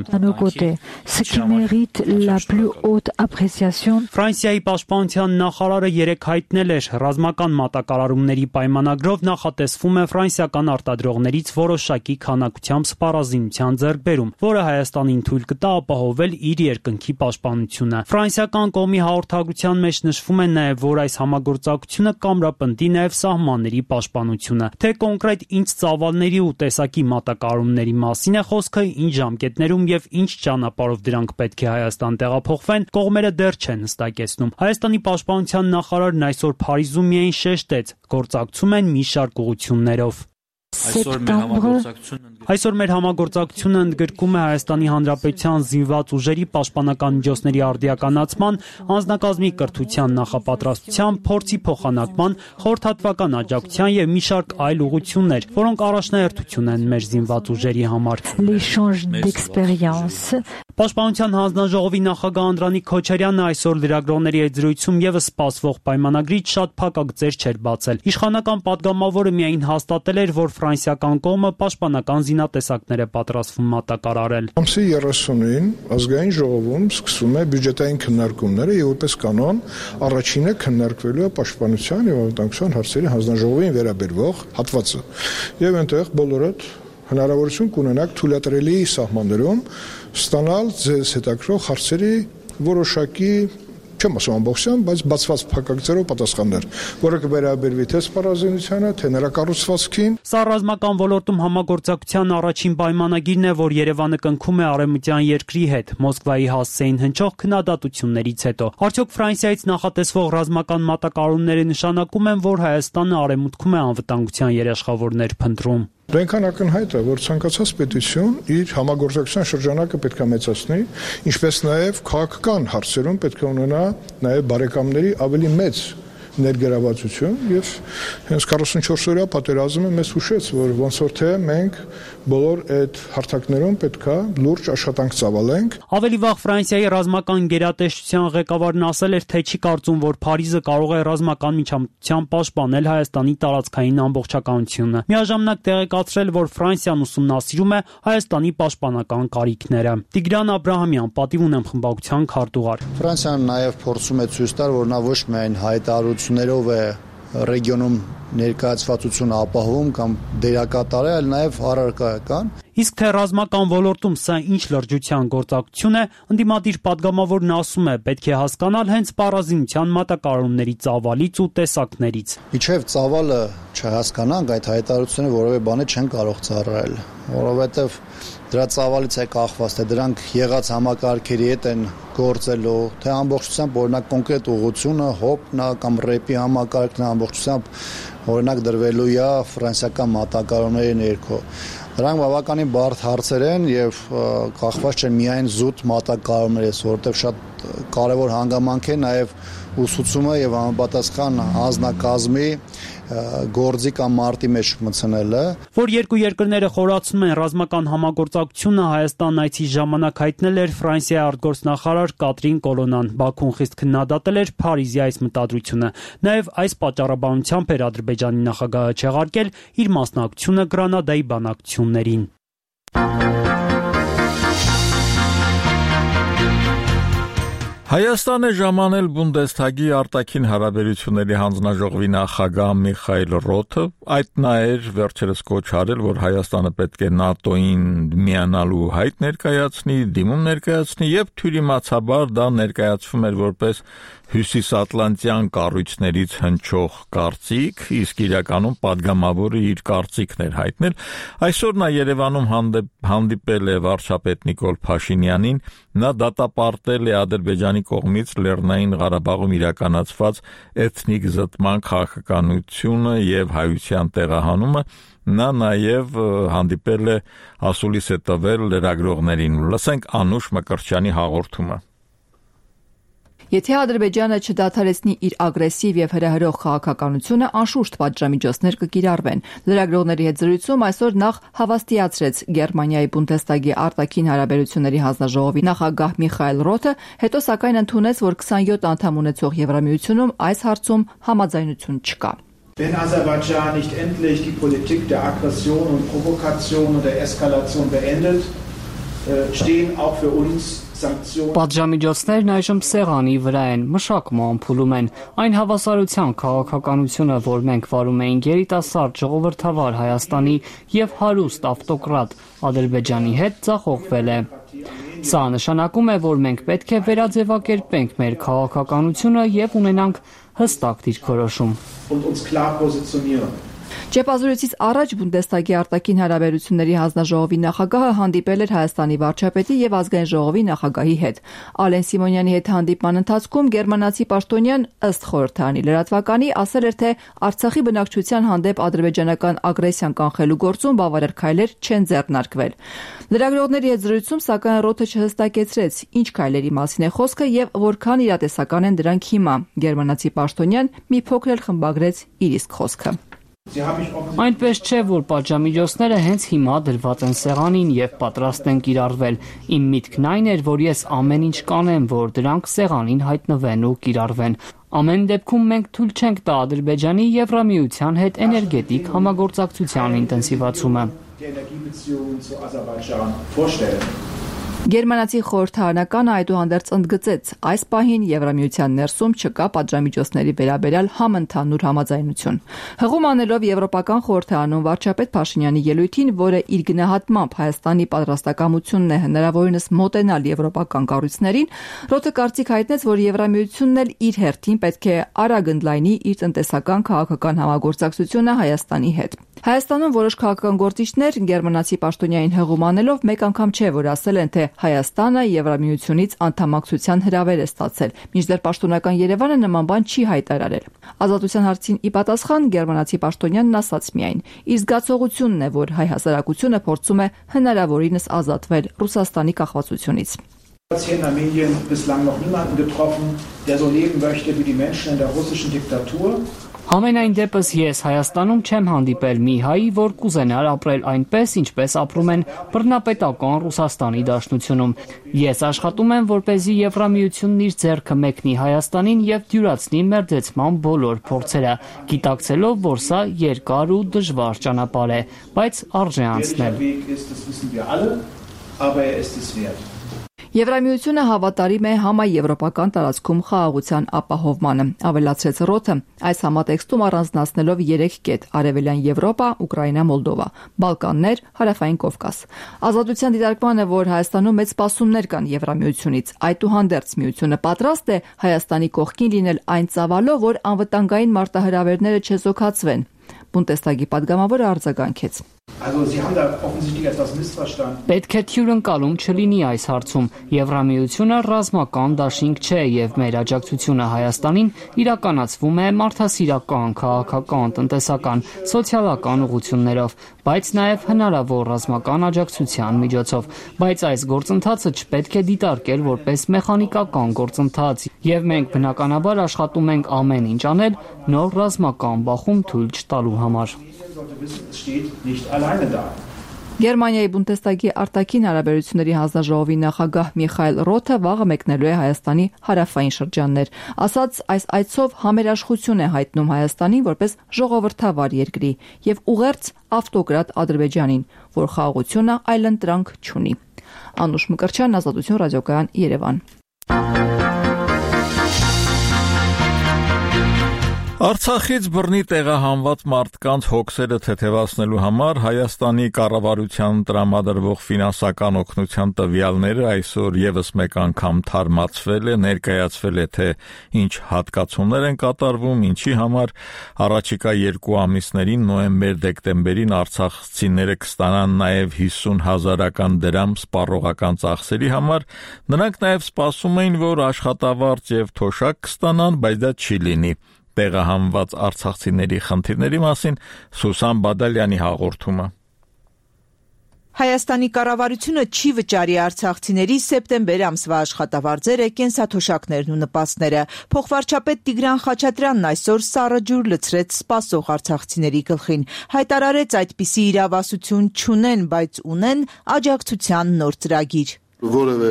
Ֆրանսիայի պաշտպանության նախարարը երեկ հայտնել էր, ռազմական մատակարարումների պայմանագրով նախատեսվում է ֆրանսիական արտադրողներից որոշակի քանակությամբ սպառազինության ձեռքբերում, որը Հայաստանին թույլ կտա ապահովել իր երկնքի պաշտպանությունը։ Ֆրանսիական կողմի հաղորդագրության մեջ նշվում է նաև, որ այս համագործակցության համագործակցությունը կամրապնդի նաև սահմանների պաշտպանությունը։ Թե կոնկրետ ինչ ծավալների ու տեսակի մատակարարումների մասին է խոսքը, ինչ ժամկետներում եւ ինչ ճանապարհով դրանք պետք է Հայաստան տեղափոխվեն, կողմերը դեռ չեն հստակեցնում։ Հայաստանի պաշտպանության նախարարն այսօր Փարիզում միայն շեշտեց, գործակցում են մի շարք ուղղություններով։ Այսօր մեր համագործակցությունը ընդգրկում է Հայաստանի Հանրապետության զինված ուժերի պաշտպանական միջոցների արդիականացման, անձնակազմի կրթության նախապատրաստության, փորձի փոխանակման, խորհրդատվական աջակցության եւ մի շարք այլ ուղղություններ, որոնք առաջնահերթություն են մեր զինված ուժերի համար։ Պաշտպանության հանձնաժողովի նախագահ Անդրանիկ Քոչարյանը այսօր լրագրողների հետ զրույցում եւս սպասվող պայմանագրից շատ փակագծեր չէր բացել։ Իշխանական падգամավորը միայն հաստատել էր, որ ֆրանսիական կողմը պաշտպանական զինատեսակներ է պատրաստվում մատակարարել։ Ամսի 30-ին ազգային ժողովում սկսում է բյուջետային քննարկումները եւ որպես կանոն առաջինը քննարկվելու է պաշտպանության եւ անվտանգության հարցերի հանձնաժողովին վերաբերող հատվածը։ Եվ այնտեղ բոլորդ հնարավորություն կունենաք թույլատրելի սահմաններում ստանալ ձեզ հետաքրող հարցերի որոշակի չեմ ասում ամբողջությամբ, բայց բացված փակագծերով պատասխաններ, որը կվերաբերվի թե սպառազինությանը, թե նրա կառուցվածքին։ Սա ռազմական ոլորտում համագործակցության առաջին պայմանագիրն է, որ Երևանը կնքում է արևմտյան երկրի հետ Մոսկվայի հասցեին հնչող քննադատություններից հետո։ Արդյոք Ֆրանսիայից նախատեսվող ռազմական մատակարարումները նշանակում են, որ Հայաստանը արևմուտքում է անվտանգության երաշխավորներ փնտրում։ Դա այնքան ակնհայտ է, որ ցանկացած պետություն իր համագործակցության շրջանակը պետք է մեծացնի, ինչպես նաև քաղաքական հարցերում պետք է ունենա նաև բարեկամների ավելի մեծ ներգրավվածություն եւ հենց 44-օրյա պատերազմը մեզ հուշեց, որ ոնց որ թե մենք բոլոր այդ հարթակներում պետքա լուրջ աշխատանք ծավալենք։ Ավելի վաղ Ֆրանսիայի ռազմական գերատեսչության ղեկավարն ասել էր, թե չի կարծում, որ Փարիզը կարող է ռազմական միջամտությամբ պաշտպանել Հայաստանի տարածքային ամբողջականությունը։ Միաժամանակ տեղեկացրել, որ Ֆրանսիան ուսումնասիրում է Հայաստանի պաշտպանական կարիքները։ Տիգրան Աբրահամյան, Պատիվ ունեմ խմբակցության քարտուղար։ Ֆրանսիան նաև փորձում է ցույց տալ, որ նա ոչ միայն հայտարարություններով է ռեգիոնում ներկայացվածություն ապահովում կամ դերակատար է, այլ նաև առարկայական։ Իսկ թե ռազմական ոլորտում սա ինչ լրջության գործակցություն է, ընդդիմադիր падգամավորն ասում է, պետք է հասկանալ հենց սպառազինության մատակարարումների ծավալից ու տեսակներից։ Իջև ծավալը չհասկանանք, այդ հայտարարությունը որևէ բանի չեն կարող ծառայել, որովհետև դրա ծավալից է կախված, թե դրանք եղած համակարգերի հետ են գործելու, թե ամբողջությամբ օրինակ կոնկրետ ուղղությունը, հոպն է կամ ռեպի համակարգն է ամբողջությամբ օրինակ դրվելու է ֆրանսիական մատակարարումների ներքո։ Դրանք բավականին բարդ հարցեր են եւ կախված չեն միայն զուտ մատակարարումներից, որովհետեւ շատ կարեւոր հանգամանք է նաեւ ուսուցումը եւ համապատասխան անձնակազմի գործի կամ մարտի մեջ մտցնելը։ Որ երկու երկրները խորացնում են ռազմական համագործակցությունը, Հայաստան այցի ժամանակ հայտնել էր Ֆրանսիայի արտգործնախարար Կատրին Կոլոնան։ Բաքուն խիստ քննադատել էր Փարիզի այս մտադրությունը։ Նաև այս պատճառաբանությամբ էր Ադրբեջանի նախագահը չեղարկել իր մասնակցությունը Գրանադայի բանակցություններին։ Հայաստանը ժամանել Բունդեսթագի արտաքին հարաբերությունների հանձնաժողովի նախագահ Միխայել Ռոթը, այդ նա էր վերջերս կոչ արել, որ Հայաստանը պետք է ՆԱՏՕ-ին միանալու հայտ ներկայացնի, դիմում ներկայացնի եւ թյուրիմացաբար դա ներկայացվում էր որպես հյուսիսատլանտյան կառույցներից հնչող կարծիք, իսկ իրականում падգամավորը իր կարծիքն էր հայտնել։ Այսօր նա Երևանում հանդիպել է վարչապետ Նիկոլ Փաշինյանին, նա դատապարտել է Ադրբեջանի կողմից Լեռնային Ղարաբաղում իրականացված էթնիկ զտման քաղաքականությունը եւ հայության տեղահանումը, նա նաեւ հանդիպել է ասուլիս է տվել լրագրողներին։ Լսենք Անուշ Մկրտչյանի հաղորդումը։ Եթե Ադրբեջանը չդադարեցնի իր ագրեսիվ եւ հրահրող քաղաքականությունը, անշուշտ պատժամիջոցներ կկիրառվեն։ Լրագրողների հետ զրույցում այսօր նախ հավաստիացրեց Գերմանիայի Բունդեսթագի արտաքին հարաբերությունների հանձնաժողովի նախագահ Միխայել Ռոթը, հետո սակայն ընդունեց, որ 27 անդամ ունեցող Եվրամիությունում այս հարցում համաձայնություն չկա։ Wenn Aserbaidschan nicht endlich die Politik der Aggression und Provokation und der Eskalation beendet, stehen auch für uns Պատժամիջոցներն այժմ սեղանի վրա են, մշակում ամփուլում են։ Այն հավասարության քաղաքականությունը, որ մենք վարում էինք երիտասարդ ժողովրդավար Հայաստանի եւ հարուստ ավտոկրատ Ադրբեջանի հետ, ձախողվել է։ Սա նշանակում է, որ մենք պետք է վերաձևակերպենք մեր քաղաքականությունը եւ ունենանք հստակ դիրքորոշում։ Ճեպազրույցից առաջ Բունդեսթագի արտաքին հարաբերությունների հանձնաժողովի նախագահը հանդիպել էր Հայաստանի վարչապետի եւ ազգային ժողովի նախագահի հետ։ Ալեն Սիմոնյանի հետ հանդիպման ընթացքում գերմանացի պաշտոնյան ըստ խորհրդարանի լրատվականի ասել էր, թե Արցախի բնակչության հանդեպ ադրբեջանական ագրեսիան կանխելու գործում բավարար քայլեր չեն ձեռնարկվել։ Լրագրողների հետ զրույցում սակայն Ռոթը չհստակեցրեց, ինչ քայլերի մասին է խոսքը եւ որքան իրատեսական են դրանք հիմա։ Գերմանացի պաշտոնյան մի փոքր էլ խմբագրեց իր իսկ խոսքը։ Այնպես չէ, որ պատժամիջոցները հենց հիմա դրված են սեղանին եւ պատրաստ են կիրառվել։ Իմ միտքն այն էր, որ ես ամեն ինչ կանեմ, որ դրանք սեղանին հայտնվեն ու կիրառվեն։ Ամեն դեպքում մենք թույլ չենք տա Ադրբեջանի Եվրամիության հետ էներգետիկ համագործակցության ինտենսիվացումը։ Գերմանացի խորհրդարանականը այդուհանդերձ ընդգծեց, այս պահին Եվրամիության ներսում չկա պատժամիջոցների վերաբերյալ համընդհանուր համաձայնություն։ Հղում անելով Եվրոպական խորհրդարանում վարչապետ Փաշինյանի ելույթին, որը իր գնահատմամբ Հայաստանի պատրաստակամությունն է հնարավորինս մոտենալ եվրոպական կառույցներին, Ռոթը կարծիք հայտնեց, որ Եվրամիությունն էլ իր հերթին պետք է արագ ընդլայնի իր տնտեսական քաղաքական համագործակցությունը Հայաստանի հետ։ Հայաստանում որոշ քաղաքական գործիչներ գերմանացի պաշտոնյային հղում անելով մեկ անգամ չէ, որ ասել են, թե Հայաստանը Եվրամիությունից անդամակցության հրավեր է ստացել, մինչդեռ պաշտոնական Երևանը նման բան չի հայտարարել։ Ազատության հարցին ի պատասխան գերմանացի պաշտոնյանն ասաց միայն. իր զգացողությունն է, որ հայ հասարակությունը փորձում է հնարավորինս ազատվել Ռուսաստանի կախվածությունից։ Hier in Armenien bislang noch niemanden getroffen, der so leben möchte wie die Menschen in der russischen Diktatur. Ամենայն դեպս ես Հայաստանում չեմ հանդիպել մի հայի, որ կուզենար ապրել այնպես, ինչպես ապրում են բռնապետական Ռուսաստանի Դաշնությունում։ Ես աշխատում եմ, որպեսզի Եվրամիությունն իր ձեռքը մեկնի Հայաստանին եւ դյուրացնի մերձեցման բոլոր փորձերը, գիտակցելով, որ սա երկար ու դժվար ճանապարհ է, բայց արժե անցնել։ Եվրամիությունը հավատարիմ է համաեվրոպական տարածքում խաղաղության ապահովմանը, ավելացրեց Ռոթը, այս համատեքստում առանձնացնելով 3 կետ՝ Արևելյան Եվրոպա, Ուկրաինա, Մոլդովա, Բալկաններ, Հարավային Կովկաս։ Ազատության դիտարկմանը, որ Հայաստանում մեծ սպասումներ կան Եվրամիությունից, այդուհանդերձ միությունը պատրաստ է Հայաստանի կողքին լինել այն ծավալով, որ անվտանգային մարտահրավերները չեզոքացվեն։ Բունդեսթագի պատգամավորը արձագանքեց. Պետք է թյուրընկալում չլինի այս հարցում։ Եվրամիությունը ռազմական դաշինք չէ եւ մեր աջակցությունը Հայաստանին իրականացվում է մարդասիրական, քաղաքական, տնտեսական, սոցիալական ուղղություններով, բայց նաեւ հնարավոր ռազմական աջակցության միջոցով։ Բայց այս գործընթացը չպետք է դիտարկել որպես մեխանիկական գործընթաց եւ մենք բնականաբար աշխատում ենք ամեն ինչ անել նոր ռազմական բախում թույլ չտալու համար։ Գերմանիայի Բունդեսթագի արտաքին հարաբերությունների հանձնաժողովի նախագահ Միխայել Ռոթը վաղը մեկնելու է Հայաստանի հարավային շրջաններ։ Ասաց, այս այցով համերաշխություն է հայտնում Հայաստանին որպես ժողովրդավար երկրի եւ ուղերձ ավտոկրատ Ադրբեջանին, որ խաղաղությունը այլընտրանք չունի։ Անուշ Մկրտչյան, Ազատություն ռադիոկայան, Երևան։ Արցախից բռնի տեղահանված մարդկանց հոգսերը թեթևացնելու համար Հայաստանի կառավարության տրամադրվող ֆինանսական օգնության տվյալները այսօր եւս մեկ անգամ թարմացվել է, ներկայացվել է, թե ինչ հատկացումներ են կատարվում, ինչի համար առաջիկա 2 ամիսներին նոյեմբեր-դեկտեմբերին արցախցիները կստանան նաեւ 50,000 դրամ սպառողական ծախսերի համար, նրանք նաեւ սպասում էին, որ աշխատավարձ եւ թոշակ կստանան, բայց դա չի լինի։ Տեղահանված արցախցիների խնդիրների մասին Սուսան Բադալյանի հաղորդումը։ Հայաստանի կառավարությունը չի վճարի արցախցիների սեպտեմբեր ամսվա աշխատավարձերը, կենսաթոշակներն ու նպաստները։ Փոխվարչապետ Տիգրան Խաչատրյանն այսօր սառը ջուր լցրեց սպասող արցախցիների գլխին։ Հայտարարեց, այդպիսի իրավասություն չունեն, բայց ունեն աջակցության նոր ծրագիր։ Որևէ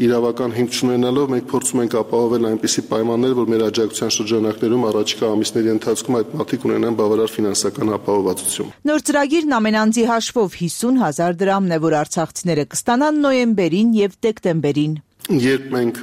իրավական հիմք չունենալով մենք փորձում ենք ապահովել այնպիսի պայմաններ, որ մեր աջակցության շրջանակներում առաջիկա ամիսների ընթացքում այդ մարդիկ ունենան բավարար ֆինանսական ապահովվածություն։ Նոր ծրագիրն ամեն անձի հաշվով 50,000 դրամն է, որ արցախցիները կստանան նոյեմբերին եւ դեկտեմբերին։ Երբ մենք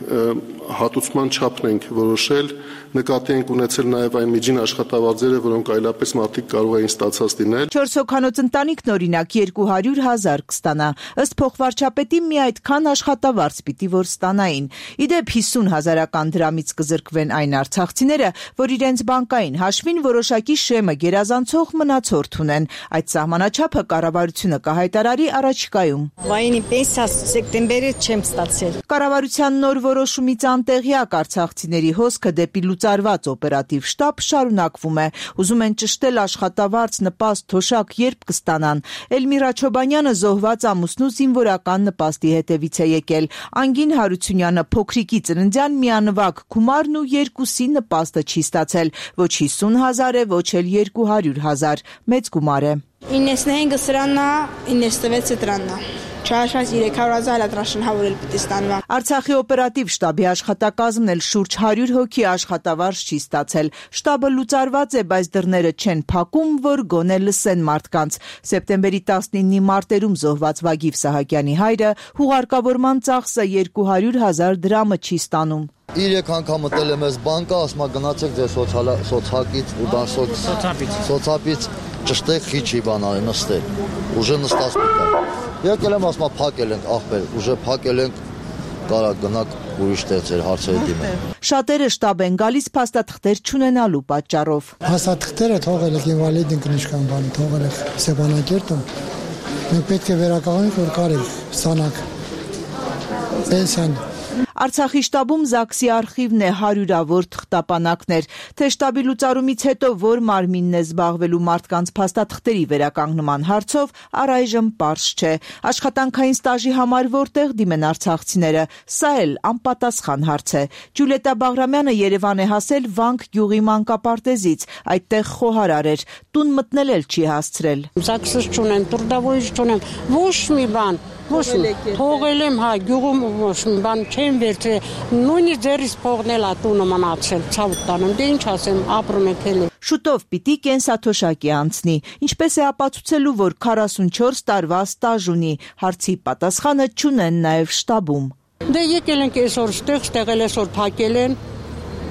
հատուցման չափն ենք որոշել, նկատի ենք ունեցել նաև այն միջին աշխատավարձերը, որոնք այլապես մարդիկ կարող էին ստացած լինել։ 4 հոգանոց ընտանիքն օրինակ 200,000 կստանա։ Ըստ փոխվարչապետի մի այդքան աշխատավարձ պիտի որ ստանային։ Իդեպ 50,000 դրամից կզրկվեն այն արցախցիները, որ իրենց բանկային հաշվին որոշակի շեմը գերազանցող մնացորդ ունեն։ Այդ սահմանաչափը կառավարությունը կհայտարարի առաջիկայում։ Վայինի պենսիա սեպտեմբերից չեմ ստացել։ Կառավարության նոր որոշումից անտեղյակ արցախցիների հոսքը դեպի լուծարված օպերատիվ շտաբ շարունակվում է։ Ուզում են ճշտել աշխատավարձ, նպաստ, թոշակ երբ կստանան։ Էլմիրա Չոբանյանը զոհված ամուսնու զինվորական նպաստի հետևից է եկել։ Անգին Հարությունյանը փոքրիկի ծննդյան միանվագ գումարն ու երկուսի նպաստը չի ստացել։ Ոչ 50,000 է, ոչ էլ 200,000։ Մեծ գումար է։ 95 սրանա, 96 դրանա։ Չհաշված 300,000 հատրաշնհավորել պիտի ստանվա։ Արցախի օպերատիվ շտաբի աշխատակազմն էլ շուրջ 100 հոգի աշխատավարձ չի ստացել։ Շտաբը լուծարված է, բայց դռները չեն փակում, որ գոնե լսեն մարդկանց։ Սեպտեմբերի 19-ի մարտերում զոհված Վագիվ Սահակյանի հայրը հուղարկավորման ծախսը 200,000 դրամը չի ստանում։ 3 անգամ մտել եմ ես բանկա, ասма գնացեք ձեր սոցիալից ու սոցապից ճշտեք խիչի բանալի նստել։ Ուժը նստած պիտա։ Եկել եմ ասма փակել ենք ախպեր, ուժը փակել ենք, կարա գնաք ուրիշ տեղ ձեր հարցերը դիմեք։ Շատերը շտաբ են գալիս փաստաթղթեր չունենալու պատճառով։ Փաստաթղթերը թողել եք ինվալիդ ինքնիշխան բան, թողել եք Սեփանակերտում։ Մենք պետք է վերականգնենք, որ կարեք ստանաք պենսիան։ Արցախի շտաբում ԶԱԳՍ-ի արխիվն է հարյուրավոր թղթապանակներ, թե շտաբի լուծարումից հետո որ մարմինն է զբաղվելու մարդկանց փաստաթղթերի վերականգնման հարցով առայժմ պարզ չէ։ Աշխատանքային ստաժի համար որտեղ դիմեն արցախցիները, սա էլ անպատասխան հարց է։ Ջուլիետա Բաղրամյանը Երևան է հասել Վանք գյուղի մանկապարտեզից, այդտեղ խոհարար էր, տուն մտնել էլ չի հասցրել։ ԶԱԳՍ չունեմ, տուրդավորիչ չունեմ, ոչ մի բան։ Թողել եմ, հա, գյուղում ոչ մի բան չեմ վերցրել, նույնիսկ ձեռիս փողնել ա տունը մնացել, ցավ տանեմ, դե ինչ ասեմ, ապրում եք էլի։ Շուտով պիտի կենսաթոշակի անցնի, ինչպես է ապացուցելու, որ 44 տարվա ստաժ ունի, հարցի պատասխանը չունեն նաև շտաբում։ Դե եկել ենք այսօր ստեղ այսօր փակել են,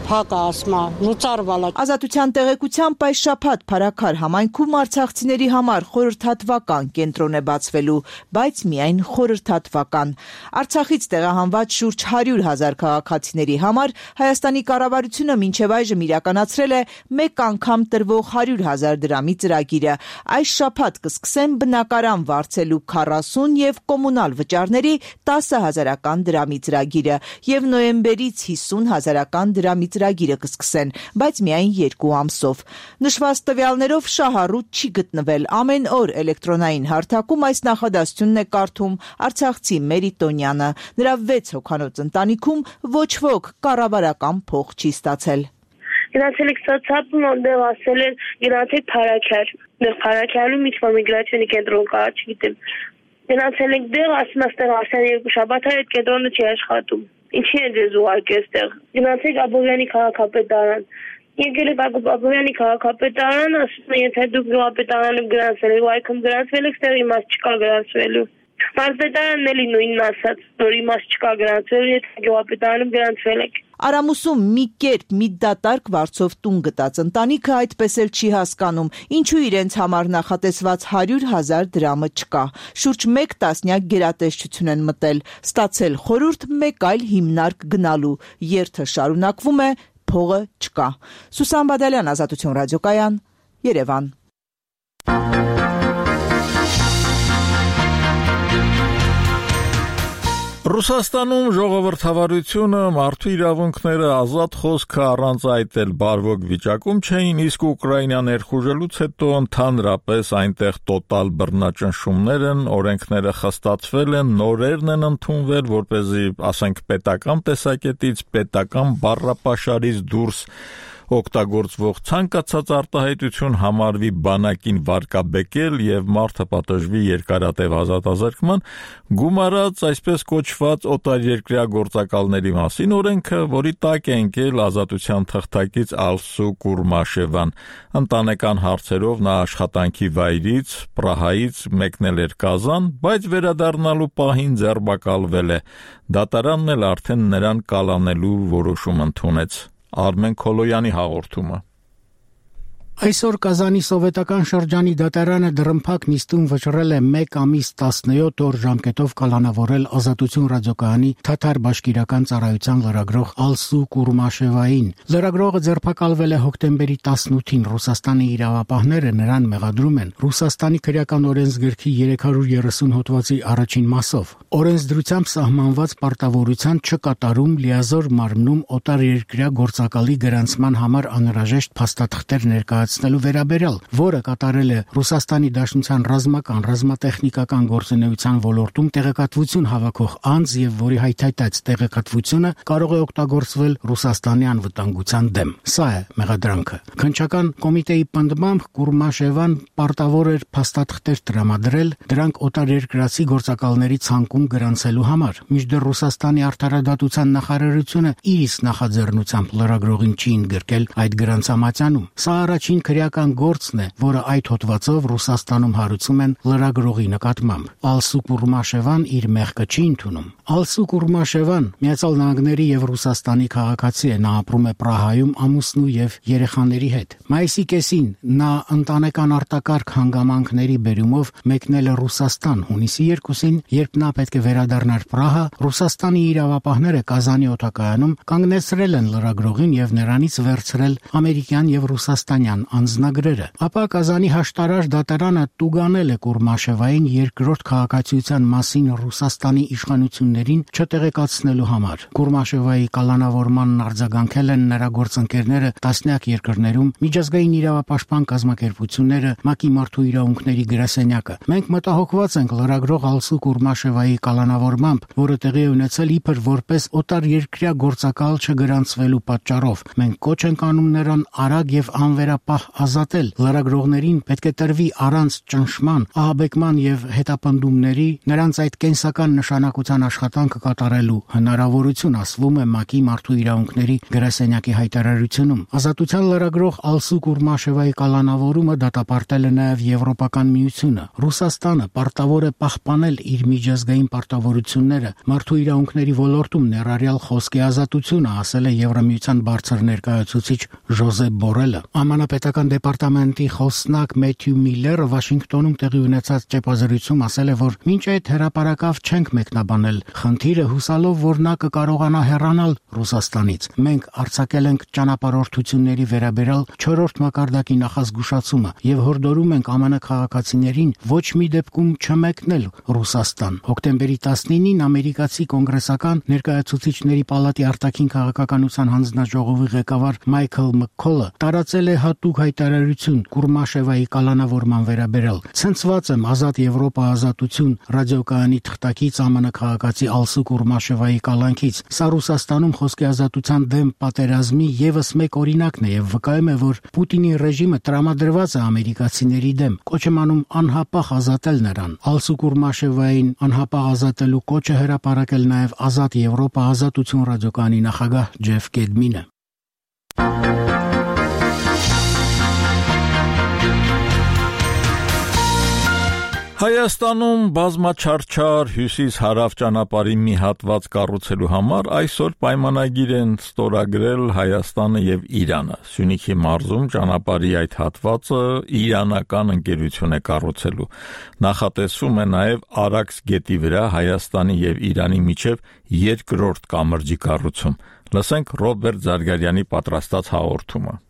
փակա ասմա, լուծարվալա։ Ազատության տեղեկությամբ այս շաբաթ Փարաքար համայնքում արցախցիների համար խորհրդատվական կենտրոն է բացվելու, բայց միայն խորհրդատվական։ Արցախից տեղահանված շուրջ 100,000 քաղաքացիների համար Հայաստանի կառավարությունը մինչև այժմ իրականացրել է մեկ անգամ տրվող 100,000 դրամի ծրագիրը։ Այս շաբաթ կսկսեն բնակարան վարձելու 40 եւ կոմունալ վճարների 10,000 դրամի ծրագիրը եւ նոյեմբերից 50,000 դրամի ծրագիրը կսկսեն, բայց միայն 2 ամսով։ Նշված տվյալներով շահառուտ չի գտնվել։ Ամեն օր էլեկտրոնային հարթակում այս նախադասությունն է կարդում արցախցի Մերիտոնյանը։ Նրա 6 հոգանոց ընտանիքում ոչ ոք կառավարական փող չի ստացել։ Գնացել եք սոցիալում, որտեղ ասել են գնացեք Փարաքար։ Դեռ Փարաքարում ինչ-որ միգրացիոնի կենտրոն կա, չգիտեմ։ Գնացել եք դեռ, ասում աստեղ ասեն 2 շաբաթ այդ կենտրոնը չի աշխատում։ Ինչի է ձեզ ուղարկել այստեղ։ Գնացեք Աբովյանի քաղաքապետարան։ Եկել եք Աբովյանի քաղաքապետարան, ասում են եթե դուք գյուղապետարանում գրանցվել եք, այքում գրանցվել եք, այստեղ իմաստ չկա գրանցվելու։ Մարզպետարանն էլի նույնն ասաց, որ իմաստ չկա գրանցվելու, եթե գյուղապետարանում գրանցվել եք։ Արամուսում մի կերպ մի դատարկ վարձով տուն գտած ընտանիքը այդպես էլ չի հասկանում, ինչու իրենց համար նախատեսված 100,000 դրամը չկա։ Շուրջ 1 տասնյակ գերատեսչություն են մտել, ստացել խորհուրդ մեկ այլ հիմնարկ գնալու։ Երթը շարունակվում է, փողը չկա։ Սուսան Բադալյան, Ազատություն ռադիոկայան, Երևան։ Ռուսաստանում ժողովրդավարությունը մարդու իրավունքները ազատ խոսքը առանց այդ էլ բարվոք վիճակում չէին, իսկ Ուկրաինա ներխուժելուց հետո ընդհանրապես այնտեղ տոտալ բռնաճնշումներ են, օրենքները խստացվել են, նորերն են ընդունվել, որպեսզի, ասենք, պետական տեսակետից, պետական բառապաշարից դուրս օգտագործվող ցանկացած արտահայտություն համարվի բանակին վարկաբեկել եւ մարդը պատժվի երկարատև ազատազրկման, գումարած այսպես կոչված օտարերկրյա գործակալների մասին օրենքը, որի տակ է ընկել ազատության թղթակից Ալսու Կուրմաշևան, ընտանեկան հարցերով նա աշխատանքի վայրից Պրահայից մեկնել էր Կազան, բայց վերադառնալու պահին ձերբակալվել է։ Դատարանն էլ արդեն նրան կալանելու որոշում ընդունեց։ Արմեն Քոլոյանի հաղորդումը։ Այսօր Կազանի սովետական շրջանի դատարանը դռնփակ նիստում վճռել է 1 ամիս 17 օր ժամկետով կալանավորել Ազատություն ռադիոկայանի թաթար բաշկիրական ծառայության լրագրող Ալսու Կուրմաշևային։ Լրագրողը ձերբակալվել է հոկտեմբերի 18-ին։ Ռուսաստանի իրավապահները նրան մեղադրում են Ռուսաստանի քրեական օրենսգրքի 330 հոդվածի առաջին մասով օրենսդրությամբ սահմանված պարտավորության չկատարում լիազոր մարմնում օտարերկրյա գործակալի գրանցման համար անհրաժեշտ փաստաթղթեր ներկայացնելու վերաբերյալ, որը կատարել է Ռուսաստանի Դաշնության ռազմական, ռազմատեխնիկական գործունեության ոլորտում տեղեկատվություն հավաքող անձ եւ որի հայթայթած տեղեկատվությունը կարող է օգտագործվել Ռուսաստանի անվտանգության դեմ։ Սա է մեղադրանքը։ Քննչական կոմիտեի պնդմամբ Կուրմաշևան պարտավոր էր փաստաթղթեր տրամադրել դրանք օտարերկրացի գործակալների ցանկում գրանցելու համար, մինչդեռ Ռուսաստանի արդարադատության նախարարությունը իր իսկ նախաձեռնությամբ լրագրողին չի ընդգրկել այդ գրանցամատյանում։ Սա առաջին քրեական գործն է, որը այդ հոդվածով Ռուսաստանում հարուցում են լրագրողի նկատմամբ։ Ալսու Կուրմաշևան իր մեղքը չի ընդունում։ Ալսու Կուրմաշևան Միացյալ Նահանգների եւ Ռուսաստանի քաղաքացի է, նա ապրում է Պրահայում ամուսնու եւ երեխաների հետ։ Մայիսի կեսին նա ընտանեկան արտակարգ հանգամանքների բերումով մեկնել է Ռուսաստան։ Հունիսի 2-ին, երբ նա պետք է վերադառնար Պրահա, Ռուսաստանի իրավապահները Կազանի օդակայանում կանգնեցրել են լրագրողին եւ նրանից վերցրել ամերիկյան եւ ռուսաստանյան անձնագրերը։ Ապա Կազանի հաշտարար դատարանը տուգանել է Կուրմաշևային երկրորդ քաղաքացիության մասին Ռուսաստանի իշխանություններին չտեղեկացնելու համար։ Կուրմաշևայի կալանավորմանն արձագանքել են նրա գործընկերները տասնյակ երկրներում, միջազգային իրավապաշտպան կազմակերպությունները, ՄԱԿ-ի մարդու իրավունքների գրասենյակը։ Մենք մտահոգված ենք լրագրող Ալսու Կուրմաշևայի կալանավորմամբ, որը տեղի է ունեցել իբր որպես օտարերկրյա գործակալ չգրանցվելու պատճառով։ Մենք կոչ ենք անում նրան արագ եւ անվերապահ ազատել։ Լրագրողներին պետք է տրվի առանց ճնշման, ահաբեկման եւ հետապնդումների նրանց այդ կենսական նշանակության աշխատանքը կատարելու հնարավորություն, ասվում է ՄԱԿ-ի մարդու իրավունքների գրասենյակի հայտարարությունում։ Ազատության լրագրող Ալսու Կուրմաշևայի կալանավորումը դատապարտել է նաեւ Եվրոպական միությունը։ Ռուսաստանը պարտավոր է պահպանել իր միջազգային պարտավորությունները մարդու իրավունքների ոլորտում, ներառյալ խոսքի ազատությունը, ասել է Եվրամիության բարձր ներկայացուցիչ Ժոզեփ Բորելը։ Ամանապետական դեպարտամենտի խոսնակ Մեթյու Միլլերը Վաշինգտոնում տեղի ունեցած ճեպազրույցում ասել է, որ մինչ այդ հրապարակավ չենք մեկնաբանել խնդիրը, հուսալով, որ նա կկարողանա հեռանալ Ռուսաստանից։ Մենք արձակել ենք ճանապարհորդությունների վերաբերյալ 4-րդ մակարդակի նախազգուշացումը եւ հորդորում ենք ԱՄՆ քաղաքացիներին ոչ մի դեպքում չմեկնել Ռուսաստան։ Հոկտեմբերի 19-ին ամերիկացի կոնգրեսական ներկայացուցիչների պալատի արտաքին քաղաքականության հանձնաժողովի ղեկավար Մայքլ Մքքոլը տարածել է հատուկ հայտարարություն Կուրմաշևայի կալանավորման վերաբերյալ։ Ցնցված եմ Ազատ Եվրոպա ազատություն ռադիոկայանի թղթակից ԱՄՆ քաղաքացի Ալսու Կուրմաշևայի կալանքից։ Սա Ռուսաստանում խոսքի ազատության դեմ պատերազմի եւս մեկ օրինակն է եւ վկայում է, որ Պուտինի ռեժիմը տրամադրված է ամերիկացիների դեմ։ Կոչ եմ անում անհապաղ ազատել նրան։ Ալսու Կուրմաշևային անհապաղ ազատելու կոչը հրապարակել նաեւ Ազատ Եվրոպա ազատություն ռադիոկայանի նախագահ Ջեֆ Կեդմինը։ Հայաստանում բազմաչարչար հյուսիս-հարավ ճանապարհի մի հատված կառուցելու համար այսօր պայմանագիր են ստորագրել Հայաստանը եւ Իրանը։ Սյունիքի մարզում ճանապարհի այդ հատվածը իրանական ընկերություն է կառուցելու։ Նախատեսվում է նաեւ Արաքս գետի վրա Հայաստանի եւ Իրանի միջև երկրորդ կամրջի կառուցում։ Լսենք Ռոբերտ Զարգարյանի պատրաստած հաղորդումը։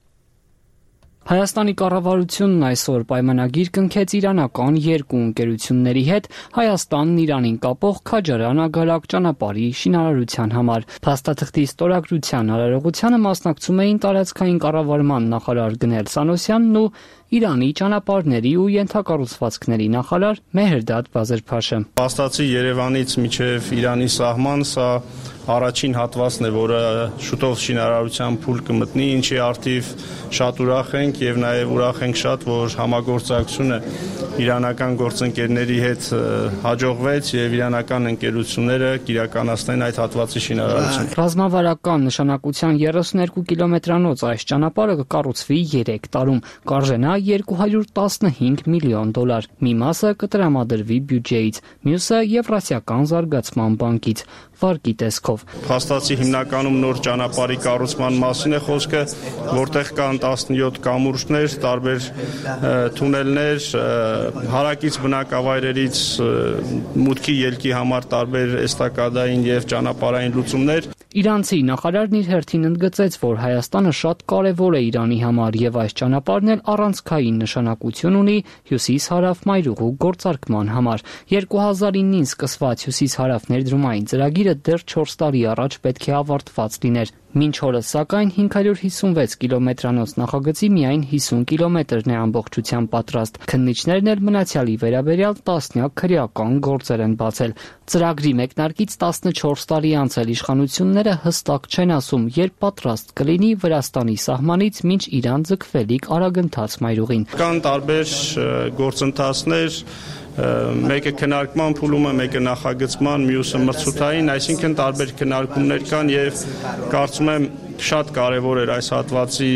Հայաստանի կառավարությունն այսօր պայմանագիր կնքեց իրանական երկու ընկերությունների հետ Հայաստանն Իրանին կապող Քաջարան-Ագարակ ճանապարհի շինարարության համար։ Փաստաթղթի ստորագրության արարողությանը մասնակցում էին տարածքային կառավարման նախարար Գնել Սանոսյանն ու Իրանի ճանապարհների ու ենթակառուցվածքների նախարար Մեհրդադ Բազերփաշը։ Փաստացի Երևանից մինչև Իրանի սահման սա առաջին հատվածն է, որը շուտով շինարարության փուլ կմտնի, ինչի արդիվ շատ ուրախ ենք եւ նաեւ ուրախ ենք շատ, որ համագործակցությունը իրանական գործընկերների հետ հաջողվեց եւ իրանական ընկերությունները կիրականացնեն այդ հատվածի շինարարությունը։ Ռազմավարական նշանակության 32 կիլոմետրանոց այս ճանապարհը կկառուցվի 3 տարում, կարժենա $215 միլիոն։ Մի մասը կտրամադրվի բյուջեից, մյուսը Եվրասիական զարգացման բանկից։ Վարկի տեսքով Փաստացի հիմնականում նոր ճանապարհի կառուցման մասին է խոսքը, որտեղ կան 17 կամուրջներ, տարբեր թունելներ, հարակից բնակավայրերից մուտքի ելքի համար տարբեր էստակադային եւ ճանապարհային լուծումներ։ Իրանցի նախարարն իր հերթին ընդգծեց, որ Հայաստանը շատ կարևոր է Իրանի համար եւ այս ճանապարհն էլ առանցքային նշանակություն ունի հյուսիս-հարավ մայրուղու գործարկման համար։ 2009-ին սկսված հյուսիս-հարավ ներդրումային ծրագիրը դեռ 4 տարի առաջ պետք է ավարտված լիներ։ Մինչ օրս սակայն 556 կիլոմետրանոց նախագծի միայն 50 կիլոմետրն է ամբողջությամբ պատրաստ։ Քննիչներն էլ մնացյալի վերաբերյալ տասնյակ քրեական գործեր են բացել։ Ծրագրի մեկնարկից 14 տարի անցել իշխանությունները հստակ չեն ասում, երբ պատրաստ կլինի Վրաստանի սահմանից մինչ Իրան ձգվելիք արագընթաց մայրուղին։ Կան տարբեր գործընթացներ, մեկը քննարկման փուլում է, մեկը նախագծման, մյուսը մրցութային, այսինքն տարբեր քննարկումներ կան եւ կարծում եմ շատ կարևոր էր այս հատվածի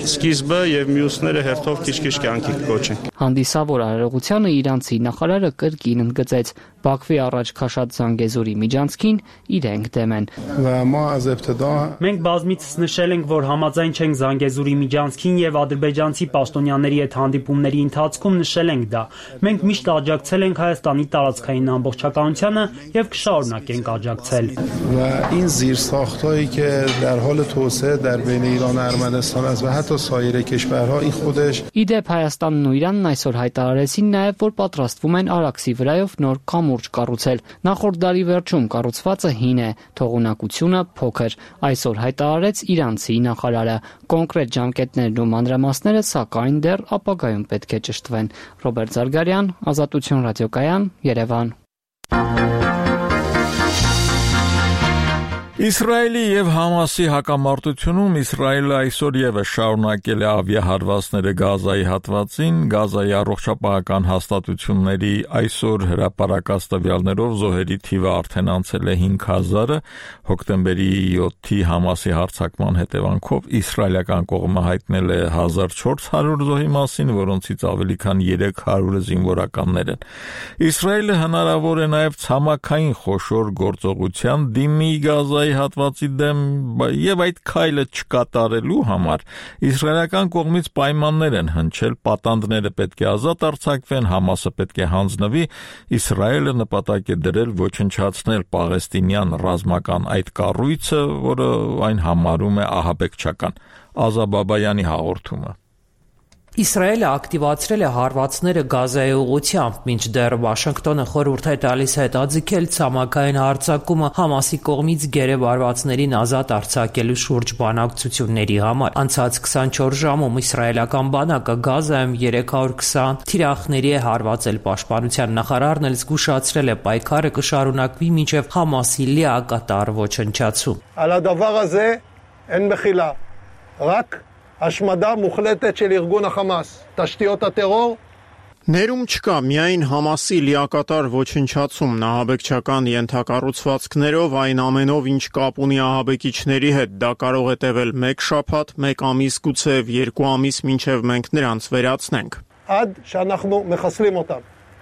սկիզբը եւ մյուսները հերթով քիչ-քիչ կյանքի կկոչեն։ Հանդիսավոր արարողությանը իրանցի նախարարը կրկին ընդգծեց. Բաքվի առաջ քաշած Զանգեզուրի միջանցքին իրենք դեմ են։ Մենք բազմիցս նշել ենք, որ համաձայն չենք Զանգեզուրի միջանցքին եւ ադրբեջանցի պաշտոնյաների հետ հանդիպումների ընթացքում նշել ենք դա։ Մենք միշտ աջակցել ենք Հայաստանի տարածքային ամբողջականությանը եւ կշարունակենք աջակցել։ این زیرساخت‌هایی که در حال توسعه در بین ایران و ارمنستان است و حتی سایر کشورها این خودش Իդեպ Հայաստանն ու Իրանն այսօր հայտարարեցին նաև, որ պատրաստվում են Արաքսի վրայով նոր կամուրջ կառուցել։ Նախորդ դարի վերջում կառուցվածը հին է, թողունակությունը փոքր։ Այսօր հայտարարեց իրանցի նախարարը։ Կոնկրետ ժամկետներն ու մանրամասները սակայն դեռ ապագայում պետք է ճշտվեն։ Ռոբերտ Զարգարյան, Ազատություն ռադիոկայան, Երևան։ Իսրայելի եւ Համասի հակամարտությունում Իսրայելը այսօր եւս շարունակել է ավիահարվածները Գազայի հատվածին, Գազայի առողջապահական հաստատությունների այսօր հրապարակած տվյալներով զոհերի թիվը արդեն անցել է 5000-ը, հոկտեմբերի 7-ի Համասի հարձակման հետևանքով իսրայելական կողմը հայտնել է 1400 զոհի մասին, որոնցից ավելի քան 300-ը զինվորականներ են։ Իսրայելը հնարավոր է նաեւ ցամաքային խոշոր գործողության դիմի Գազայի հատվածի դեմ եւ այդ քայլը չկատարելու համար իսրայելական կողմից պայմաններ են հնչել, պատանդները պետք է ազատ արձակվեն, Համասը պետք է հանձնվի, Իսրայելը նպատակ է դրել ոչնչացնել պաղեստինյան ռազմական այդ կառույցը, որը այն համարում է ահաբեկչական։ Ազա Բաբայանի հաղորդումը։ Իսրայելը ակտիվացրել է հարվածները Գազայի ուղղությամբ, մինչդեռ Վաշինգտոնը խորհուրդ է տալիս հետաձգել ցամաքային հարձակումը Համասի կողմից գերեվ արվածներին ազատ արձակելու շուրջ բանակցությունների համար։ Անցած 24 ժամում իսրայելական բանակը Գազայում 320 թիրախների է հարվածել։ Պաշտպանության նախարարն էլ զգուշացրել է պայքարը կշարունակվի մինչև Համասի լիակատար ոչնչացում։ על הדבר הזה אין מחילה, רק השמדה מוחלטת של ארגון החמאס, תשתיות הטרור Ներում չկա միայն Համասի լիակատար ոչնչացում, ահաբեկչական ենթակառուցվածքներով, այն ամենով, ինչ կապ ունի ահաբեկիչների հետ, դա կարող է տևել 1 շաբաթ, 1 ամիս, գուցեև 2 ամիս, մինչև մենք նրանց վերացնենք։ עד שאנחנו מחסלים אותם.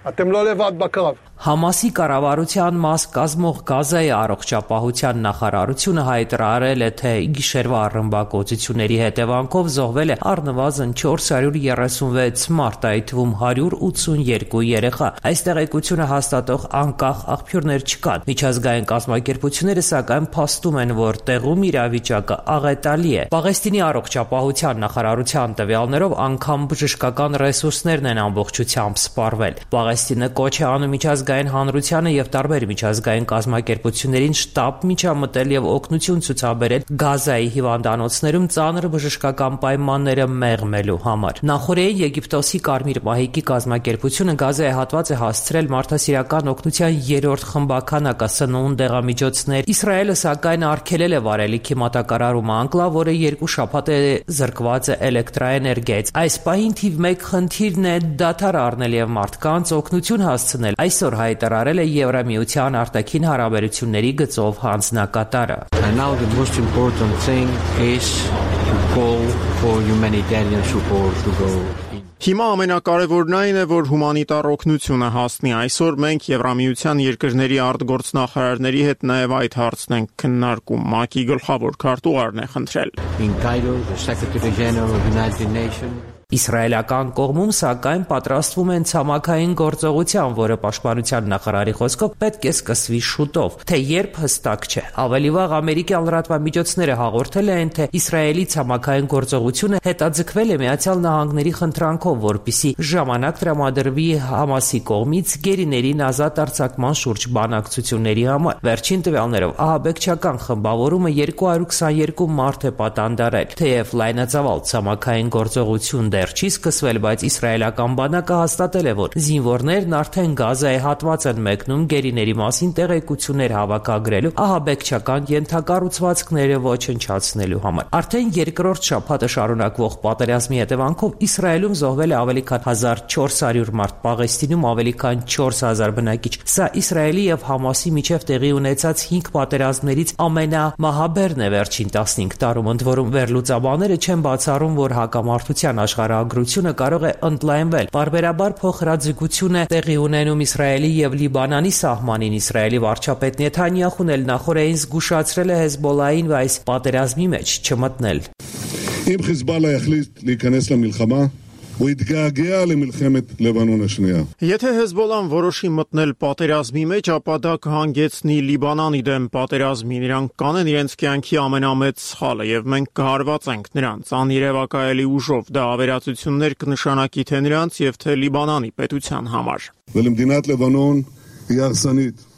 אתם לא לבד בקרב. Համասի կառավարության մաս կազմող Գազայի առողջապահության նախարարությունը հայտարարել է, թե գիշերվա ռմբակոծությունների հետևանքով զոհվել է առնվազն 436 մարդ, այդ թվում 182 երեխա։ Այս տեղեկությունը հաստատող անկախ աղբյուրներ չկան։ Միջազգային կազմակերպությունները սակայն փաստում են, որ տեղում իրավիճակը աղետալի է։ Պաղեստինի առողջապահության նախարարության տվյալներով անգամ բժշկական ռեսուրսներն են ամբողջությամբ սպառվել։ Պաղեստինը կոչ է անում միջազգային հանրությանը եւ տարբեր միջազգային կազմակերպություններին շտապ միջամտել եւ օգնություն ցուցաբերել Գազայի հիվանդանոցներում ծանր բժշկական պայմանները մեղմելու համար։ Նախորդին Եգիպտոսի Կարմիր մահիկի կազմակերպությունը Գազայի հատված է հասցրել մարդասիրական օգնության 3-րդ խմբականակը սնունդ, դեղամիջոցներ։ Իսրայելը սակայն արգելել է վարելիքի մատակարարումը անկլավ, որը 2 շաբաթ է զրկված է էլեկտրաէներգիայից։ Այս պահին թիվ 1 խնդիրն է դադար առնել եւ մարդկանց օգնություն հասցնել։ Այսօր հայտարարել է Եվրամիության արտաքին հարաբերությունների գծով հանձնակատարը։ And now the most important thing is to call for humanitarian support to go. Հիմա ամենակարևորն այն է, որ հումանիտար օգնությունը հասնի։ Այսօր մենք Եվրամիության երկրների արտգործնախարարների հետ նաև այդ հարցն ենք քննարկում։ ՄԱԿ-ի գլխավոր քարտուղարն է խնդրել։ In Cairo, the Secretary General of the United Nations Իսրայելական կողմում սակայն պատրաստվում են ցամաքային գործողության, որը պաշտպանության նախարարի խոսքով պետք է սկսվի շուտով, թե երբ հստակ չէ։ Ավելի վաղ ամերիկյան լրատվամիջոցները հաղորդել են, թե Իսրայելի ցամաքային գործողությունը հետաձգվել է Միացյալ Նահանգների խնդրանքով, որպեսզի ժամանակ տրամադրվի Համասի կողմից գերիներին ազատ արձակման շուրջ բանակցությունների համար։ Վերջին տվյալներով ահաբեկչական խմբավորումը 222 մարդ է պատանդարել, թեև լայնածավալ ցամաքային գործողություն դեռ չի սկսվել, բայց իսրայելական բանակը հաստատել է, որ զինվորներն արդեն Գազայի հատված են մեկնում գերիների մասին տեղեկություններ հավաքագրելու, ահաբեկչական ենթակառուցվածքները ոչնչացնելու համար։ Արդեն երկրորդ շաբաթը շարունակվող պատերազմի հետևանքով Իսրայելում զոհվել է ավելի քան 1400 մարդ, Պաղեստինում ավելի քան 4000 բնակիչ։ Սա Իսրայելի եւ Համասի միջև տեղի ունեցած 5 պատերազմներից ամենամահաբերն է վերջին 15 տարում, ընդ որում վերլուծաբանները չեն բացառում, որ հակամարտության աշխարհագրությունը կարող է ընդլայնվել։ Բարբերաբար փոխհրաձգություն է տեղի ունենում Իսրայելի եւ Լիբանանի սահմանին։ Իսրայելի վարչապետ Նեթանյախուն էլ նախորդին զգուշացրել է Հեզբոլային այս պատերազմի մեջ չմտնել։ Իմ Հեզբոլլա յախլիտ լիքանես լամիլխամա ויתגעגע למלחמת לבנון השנייה. Եթե Հեզբոլլան որոշի մտնել պատերազմի մեջ, ապա դա կհանգեցնի Լիբանանի դեմ պատերազմին։ Նրանք կանեն իրենց կյանքի ամենամեծ սխալը եւ մենք կհարվածենք նրանց անիրևակայելի ուժով։ Դա ավերածություններ կնշանակի թե նրանց եւ թե Լիբանանի պետության համար։ ולמדינת לבנון היא הרסנית.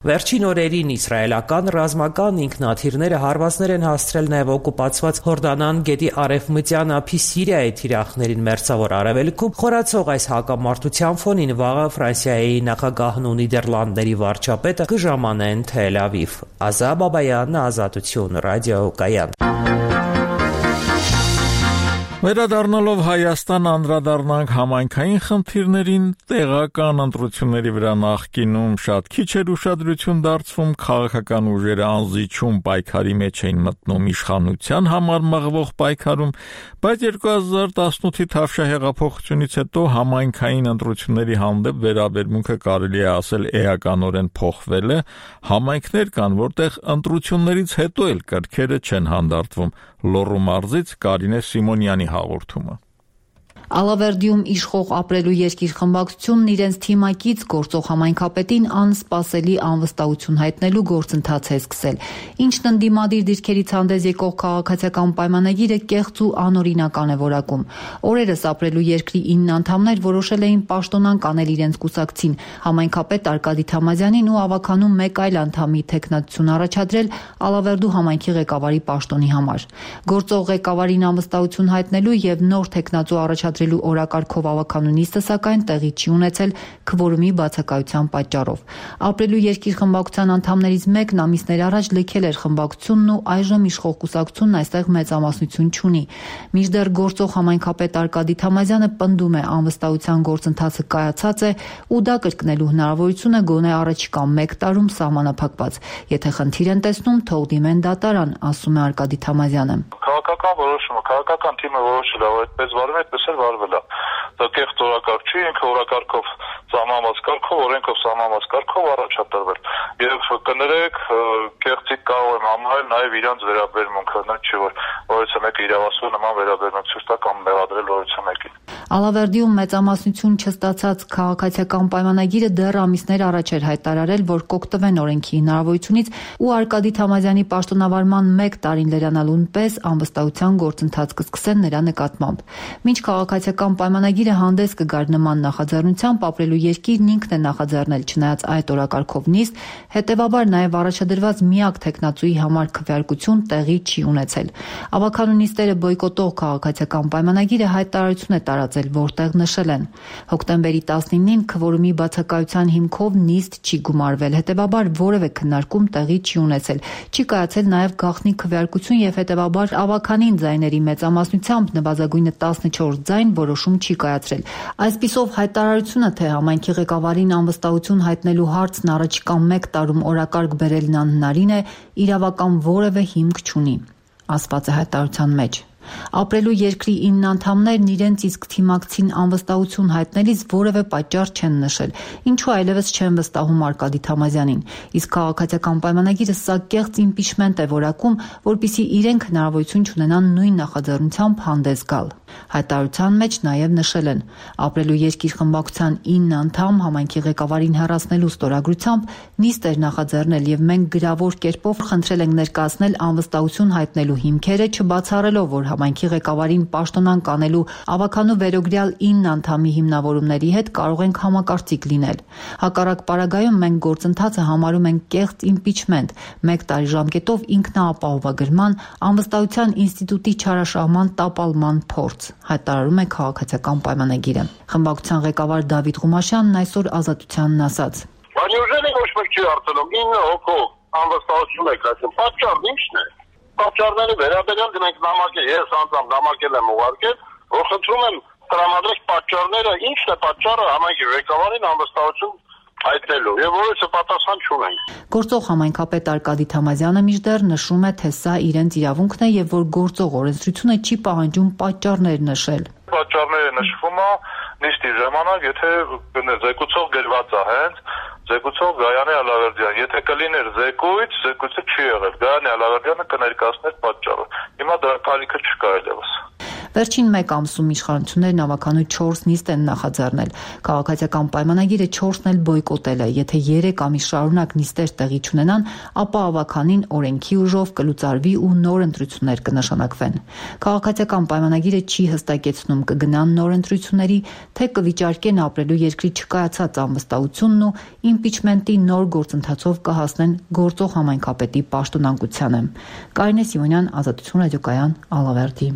Վերջին օրերին իսրայելական ռազմական ինքնաթիռները հարվածներ են հասցրել նաև օկուպացված Հորդանան գետի արևմտյան ափի Սիրիայի թիրախներին մերձավոր արևելքում։ Խորացող այս հակամարտության ֆոնին վաղը Ֆրանսիայի նախագահն ու Նիդերլանդների վարչապետը կժամանեն Թել Ավիվ։ Ազա Բաբայան, Ազատություն, ռադիո Կայան։ Վերադառնալով Հայաստան անդրադառնանք համայնքային խնդիրներին, տեղական ընտրությունների վրա նախկինում շատ քիչ էր ուշադրություն դարձվում, քաղաքական ուժերը անզիջում պայքարի մեջ էին մտնում իշխանության համար մղվող պայքարում, բայց 2018-ի Թավշյա հեղափոխությունից հետո համայնքային ընտրությունների հանդեպ վերաբերմունքը կարելի է ասել էականորեն փոխվել է, համայնքներ կան, որտեղ ընտրություններից հետո էլ կրքերը չեն հանդարտվում։ Լոռու մարզից Կարինե Սիմոնյանի հաղորդումը։ Ալավերդիում իշխող ապրելու երկիր խմբակցությունն իրենց թիմակից գործող համայնքապետին անսպասելի անվստահություն հայտնելու գործընթաց է սկսել, ինչն ընդդիմադիր դիրքերից հանդես եկող քաղաքացիական պայմանագիրը կեղծ ու անօրինական է որակում։ Օրերս ապրելու երկրի 9 անդամներ որոշել էին պաշտոնանկ անել իրենց կուսակցին, համայնքապետ Արկադի Թամազյանին ու ավականում մեկ այլ անդամի թեկնածություն առաջադրել Ալավերդու համայնքի ղեկավարի պաշտոնի համար։ Գործող ղեկավարին անվստահություն հայտնելու եւ նոր թեկնածու առաջադրելու օրակարգով ավականու նիստը սակայն տեղի չի ունեցել քվորումի բացակայության պատճառով։ Ապրելու երկիր խմբակցության անդամներից մեկն ամիսներ առաջ լքել էր խմբակցությունն ու այժմ իշխող կուսակցությունն այստեղ մեծամասնություն չունի։ Մինչդեռ գործող համայնքապետ Արկադի Թամազյանը պնդում է անվստահության գործընթացը կայացած է ու դա կրկնելու հնարավորությունը գոնե առաջիկա 1 տարում սահմանափակված։ Եթե խնդիր են տեսնում, թող դիմեն դատարան, ասում է Արկադի Թամազյանը։ Քաղաքական որոշումը, քաղաքական թիմը որոշել է, որ այդպես վարվում է, այդպես էլ վարվել է։ Դա կեղծ օրակարգ չի, ինքը օրակարգով սահմանված կարգով, օրենքով սահմանված կարգով առաջադրվել։ Եվ կներեք, կեղծիկ կարող եմ համարել նաև իրանց վերաբերմունքը, նա չի որ որևէ մեկը իրավասու նման վերաբերմունք ցույց տա կամ մեղադրել որևէ մեկին։ Ալավերդիում մեծամասնություն չստացած քաղաքացիական պայմանագիրը դեռ ամիսներ առաջ էր հայտարարել, որ կօգտվեն օրենքի հնարավորությունից ու Արկադի Թամազյանի պաշտոնավարման 1 տարին լրանալուն պես անվստահության գործընթաց կսկսեն նրա նկատմամբ։ Մինչ քաղաքացիական պայմանագիրը հանդես կգար նման նախաձեռնությամբ, ապրելու երկիրն ինքն է նախաձեռնել, չնայած այդ օրակարգով նիստ, հետևաբար նաև առաջադրված միակ թեկնածուի համար քվեարկություն տեղի չի ունեցել։ Ավագանու նիստերը բոյկոտող քաղաքացիական պայմանագիրը հայտարարություն է տարածել, որտեղ նշել են. հոկտեմբերի 19-ին քվորումի բացակայության հիմքով նիստ չի գումարվել, հետևաբար որևէ քննարկում տեղի չի ունեցել, չի կայացել նաև գաղտնի քվեարկություն եւ հետևաբար ավագանին ձայների մեծամասնությամբ նվազագույնը 14 ձայն որոշում չի կայացրել։ Այսպիսով հայտարարությունը, թե համայնքի ղեկավարին անվստահություն հայտնելու հարցն առաջիկա 1 տարում օրակարգ բերելն անհնարին է, իրավական որևէ հիմք չունի, ասված է հայտարարության մեջ։ Ապրելու երկրի 9 անդամներն իրենց իսկ թիմակցին անվստահություն հայտնելիս որևէ պատճառ չեն նշել, ինչու այլևս չեն վստահում Արկադի Թամազյանին, իսկ քաղաքացիական պայմանագիրը սա կեղծ իմպիչմենտ է որակում, որպեսզի իրենք հնարավորություն չունենան նույն նախաձեռնությամբ հանդես գալ։ Հայտարարության մեջ նաև նշել են. ապրելու երկիր խմբակցության 9 անդամ համայնքի ղեկավարին հեռացնելու ստորագրությամբ նիստ էր նախաձեռնել եւ մենք գրավոր կերպով խնդրել ենք ներկայացնել անվստահություն հայտնելու հիմքերը, չբացառելով, որ համայնքի ղեկավարին պաշտոնանկ անելու ավագանու վերոգրյալ 9 անդամի հիմնավորումների հետ կարող ենք համակարծիք լինել։ Հակառակ պարագայում մենք գործընթացը համարում ենք կեղծ իմպիչմենտ, 1 տարի ժամկետով ինքնաապահովագրման, անվստահության ինստիտուտի չարաշահման տապալման փորձ, հայտարարում է քաղաքացիական պայմանագիրը։ Խմբակցության ղեկավար Դավիթ Ղումաշյանն այսօր Ազատությանն ասաց. Անյուժենի ոչ մեկ չի արտանում 9 հոգով անվստահություն եք ասում, պատճառն ի՞նչն է։ Պատճառների վերաբերյալ մենք նամակել, ես անձամբ նամակել եմ ուղարկել, որ խնդրում եմ տրամադրեք պատճառները, ինչն է պատճառը համայնքի ղեկավարին անվստահություն հայտնելու եւ որովհետեւ պատասխան չունենք։ Գործող համայնքապետ Արկադի Թամազյանը միշտեր նշում է, թե սա իրենց իրավունքն է եւ որ գործող օրենսդրությունը չի պահանջում պատճառներ նշել։ Պատճառները նշվում է նիստի ժամանակ, եթե զեկուցող գրված է հենց զեկուցող Գայանե Ալավերդյան, եթե կլիներ զեկույցը չի եղել, Գայանե Ալավերդյանը կներկայացներ պատճառը։ Հիմա դրա կարիքը չկա այլևս։ Վերջին 1 ամսում իշխանություններն ավականու 4 նիստ են նախաձեռնել։ Քաղաքացիական պայմանագիրը 4-ն էլ բոյկոտել է։ Եթե 3 ամիս շարունակ նիստեր տեղի չունենան, ապա ավականին օրենքի ուժով կլուծարվի ու նոր ընտրություններ կնշանակվեն։ Քաղաքացիական պայմանագիրը չի հստակեցնում կգնան նոր ընտրությունների, թե կվիճարկեն ապրելու երկրի չկայացած անվստահությունն ու իմպիչմենտի նոր գործընթացով կհասնեն գործող համայնքապետի պաշտոնանկությանը։ Կարինե Սիմոնյան, Ազատություն ռադիոկայան, Ալավերդի։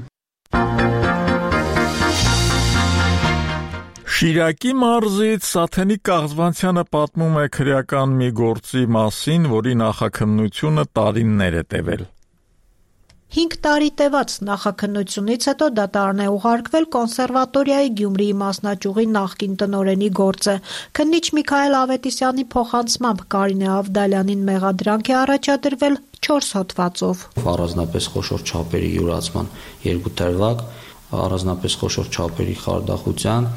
Շիրակի մարզից Սաթենիկ Կաղզվանցյանը պատմում է քրեական մի գործի մասին, որի նախաքննությունը տարիներ է տևել։ 5 տարի տևած նախաքննությունից հետո դատարան է ուղարկվել կոնսերվատորիայի Գյումրիի մասնաճյուղի նախկին տնօրենի գործը։ Քննիչ Միքայել Ավետիսյանի փոխանցմամբ Կարինե Ավդալյանին մեղադրանք է առաջադրվել 4 հոդվածով։ Առանձնապես խոշոր չափերի յուրացման 2 դրվագ, առանձնապես խոշոր չափերի խարդախության,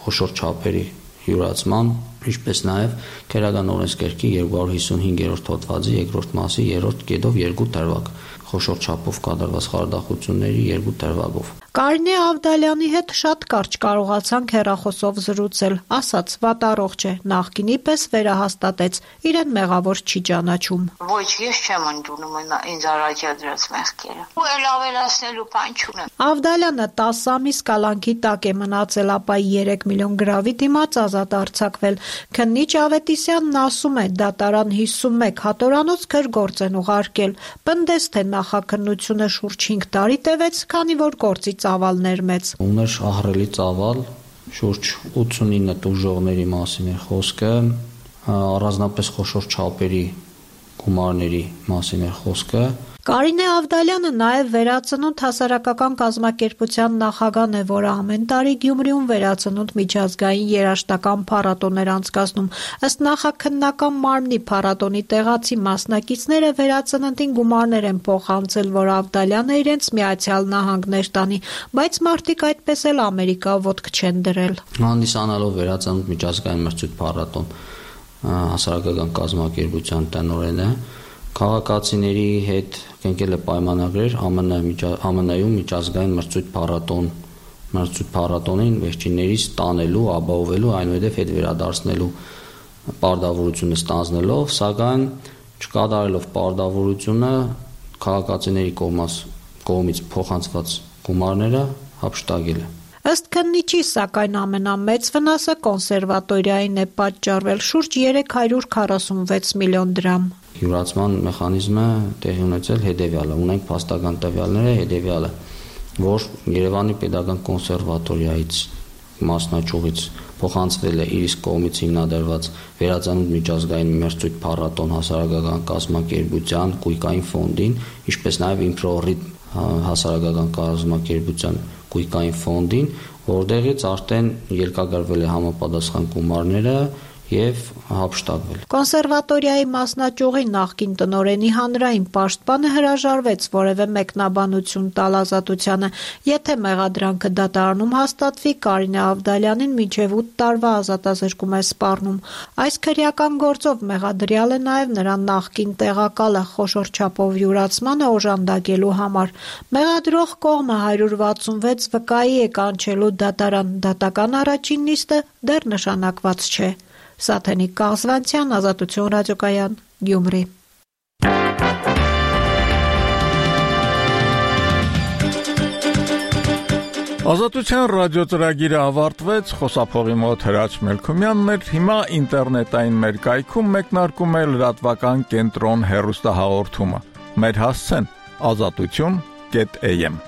խոշոր չափերի յուրացման, ինչպես նաև քերական օրենսգրքի 255-րդ հոդվածի 2-րդ մասի 3-րդ կետով 2 դրվագ, խոշոր չափով կատարված խարդախությունների 2 դրվագով։ Կարինե Ավդալյանի հետ շատ կարճ կարողացանք հեռախոսով զրուցել, ասաց վատառողջ է, նախկինի պես վերահաստատեց, իրեն մեղավոր չի ճանաչում։ Ոչ, ես չեմ ընդունում ինձ առաջադրած մեղքերը։ Ու էլ ավելացնելու բան չունեմ։ Ավդալյանը 10 ամիս կալանքի տակ է մնացել, ապա 3 միլիոն գրավի դիմաց ազատ արձակվել։ Քննիչ Ավետիսյանն ասում է, դատարան 51 հատորանոց քրգործ են ուղարկել։ Պնդես, թե նախաքննությունը շուրջ 5 տարի տևեց, քանի որ գործի ծավալներ մեծ։ Ուներ ահռելի ծավալ, շուրջ 89 տուժողների մասին է խոսքը, առանձնապես խոշոր չափերի գումարների մասին է խոսքը։ Կարինե Ավդալյանը նաև Վերածնունդ հասարակական կազմակերպության նախագահն է, որը ամեն տարի Գյումրիում Վերածնունդ միջազգային երաժշտական փառատոն էր անցկացնում։ Ըստ նախաքննական մարմնի փառատոնի տեղացի մասնակիցները Վերածննդին գումարներ են փոխանցել, որ Ավդալյանը իրենց Միացյալ Նահանգներ տանի, բայց մարդիկ այդպես էլ Ամերիկա ոտք չեն դրել։ Հանդիսանալով Վերածնունդ միջազգային մրցույթ փառատոն հասարակական կազմակերպության տնօրենը քաղաքացիների հետ կնքել է պայմանագրեր ԱՄՆ-ում միջազգային մրցույթ փառատոն մրցույթ փառատոնին վերջիններիս տանելու, ապահովելու, այնուհետև հետ վերադարձնելու պարտավորությունը ստանձնելով, սակայն չկատարելով պարտավորությունը քաղաքացիների կողմից փոխանցված գումարները հափշտակել է։ Ըստ քննիչի, սակայն ամենամեծ վնասը կոնսերվատորիային է պատճառվել շուրջ 346 միլիոն դրամ։ Յուրացման մեխանիզմը տեղի ունեցել հետևյալը, ունենք փաստական տվյալները հետևյալը, որ Երևանի Պետական կոնսերվատորիայից մասնաճյուղից փոխանցվել է իր կողմից հիմնադրված վերածնունդ միջազգային մրցույթ փառատոն հասարակական կազմակերպության Կույկային ֆոնդին, ինչպես նաև Improrhythm հասարակական կազմակերպության Կույկային ֆոնդին, որտեղից արդեն ելքագրվել է համապատասխան գումարները եւ հափշտակվել։ Կոնսերվատորիայի մասնաճյուղի նախկին տնօրենի հանրային պաշտպանը հրաժարվեց որևէ մեկնաբանություն տալ Ազատությանը, եթե մեղադրանքը դատարանում հաստատվի, Կարինե Ավդալյանին մինչև 8 տարվա ազատազրկում է սպառնում։ Այս քրեական գործով մեղադրյալ է նաև նրան նախկին տեղակալը խոշոր չափով յուրացմանը օժանդակելու համար։ Մեղադրող կողմը 166 վկայի է կանչելու դատարան, դատական առաջին նիստը դեռ նշանակված չէ։ Սաթենիկ Կաղզվանցյան, Ազատություն ռադիոկայան, Գյումրի։ Ազատության ռադիոծրագիրը ավարտվեց, խոսափողի մոտ Հրաչ Մելքումյանն էր, հիմա ինտերնետային մեր կայքում մեկնարկում է լրատվական կենտրոն հեռուստահաղորդումը։ Մեր հասցեն azatutyon.am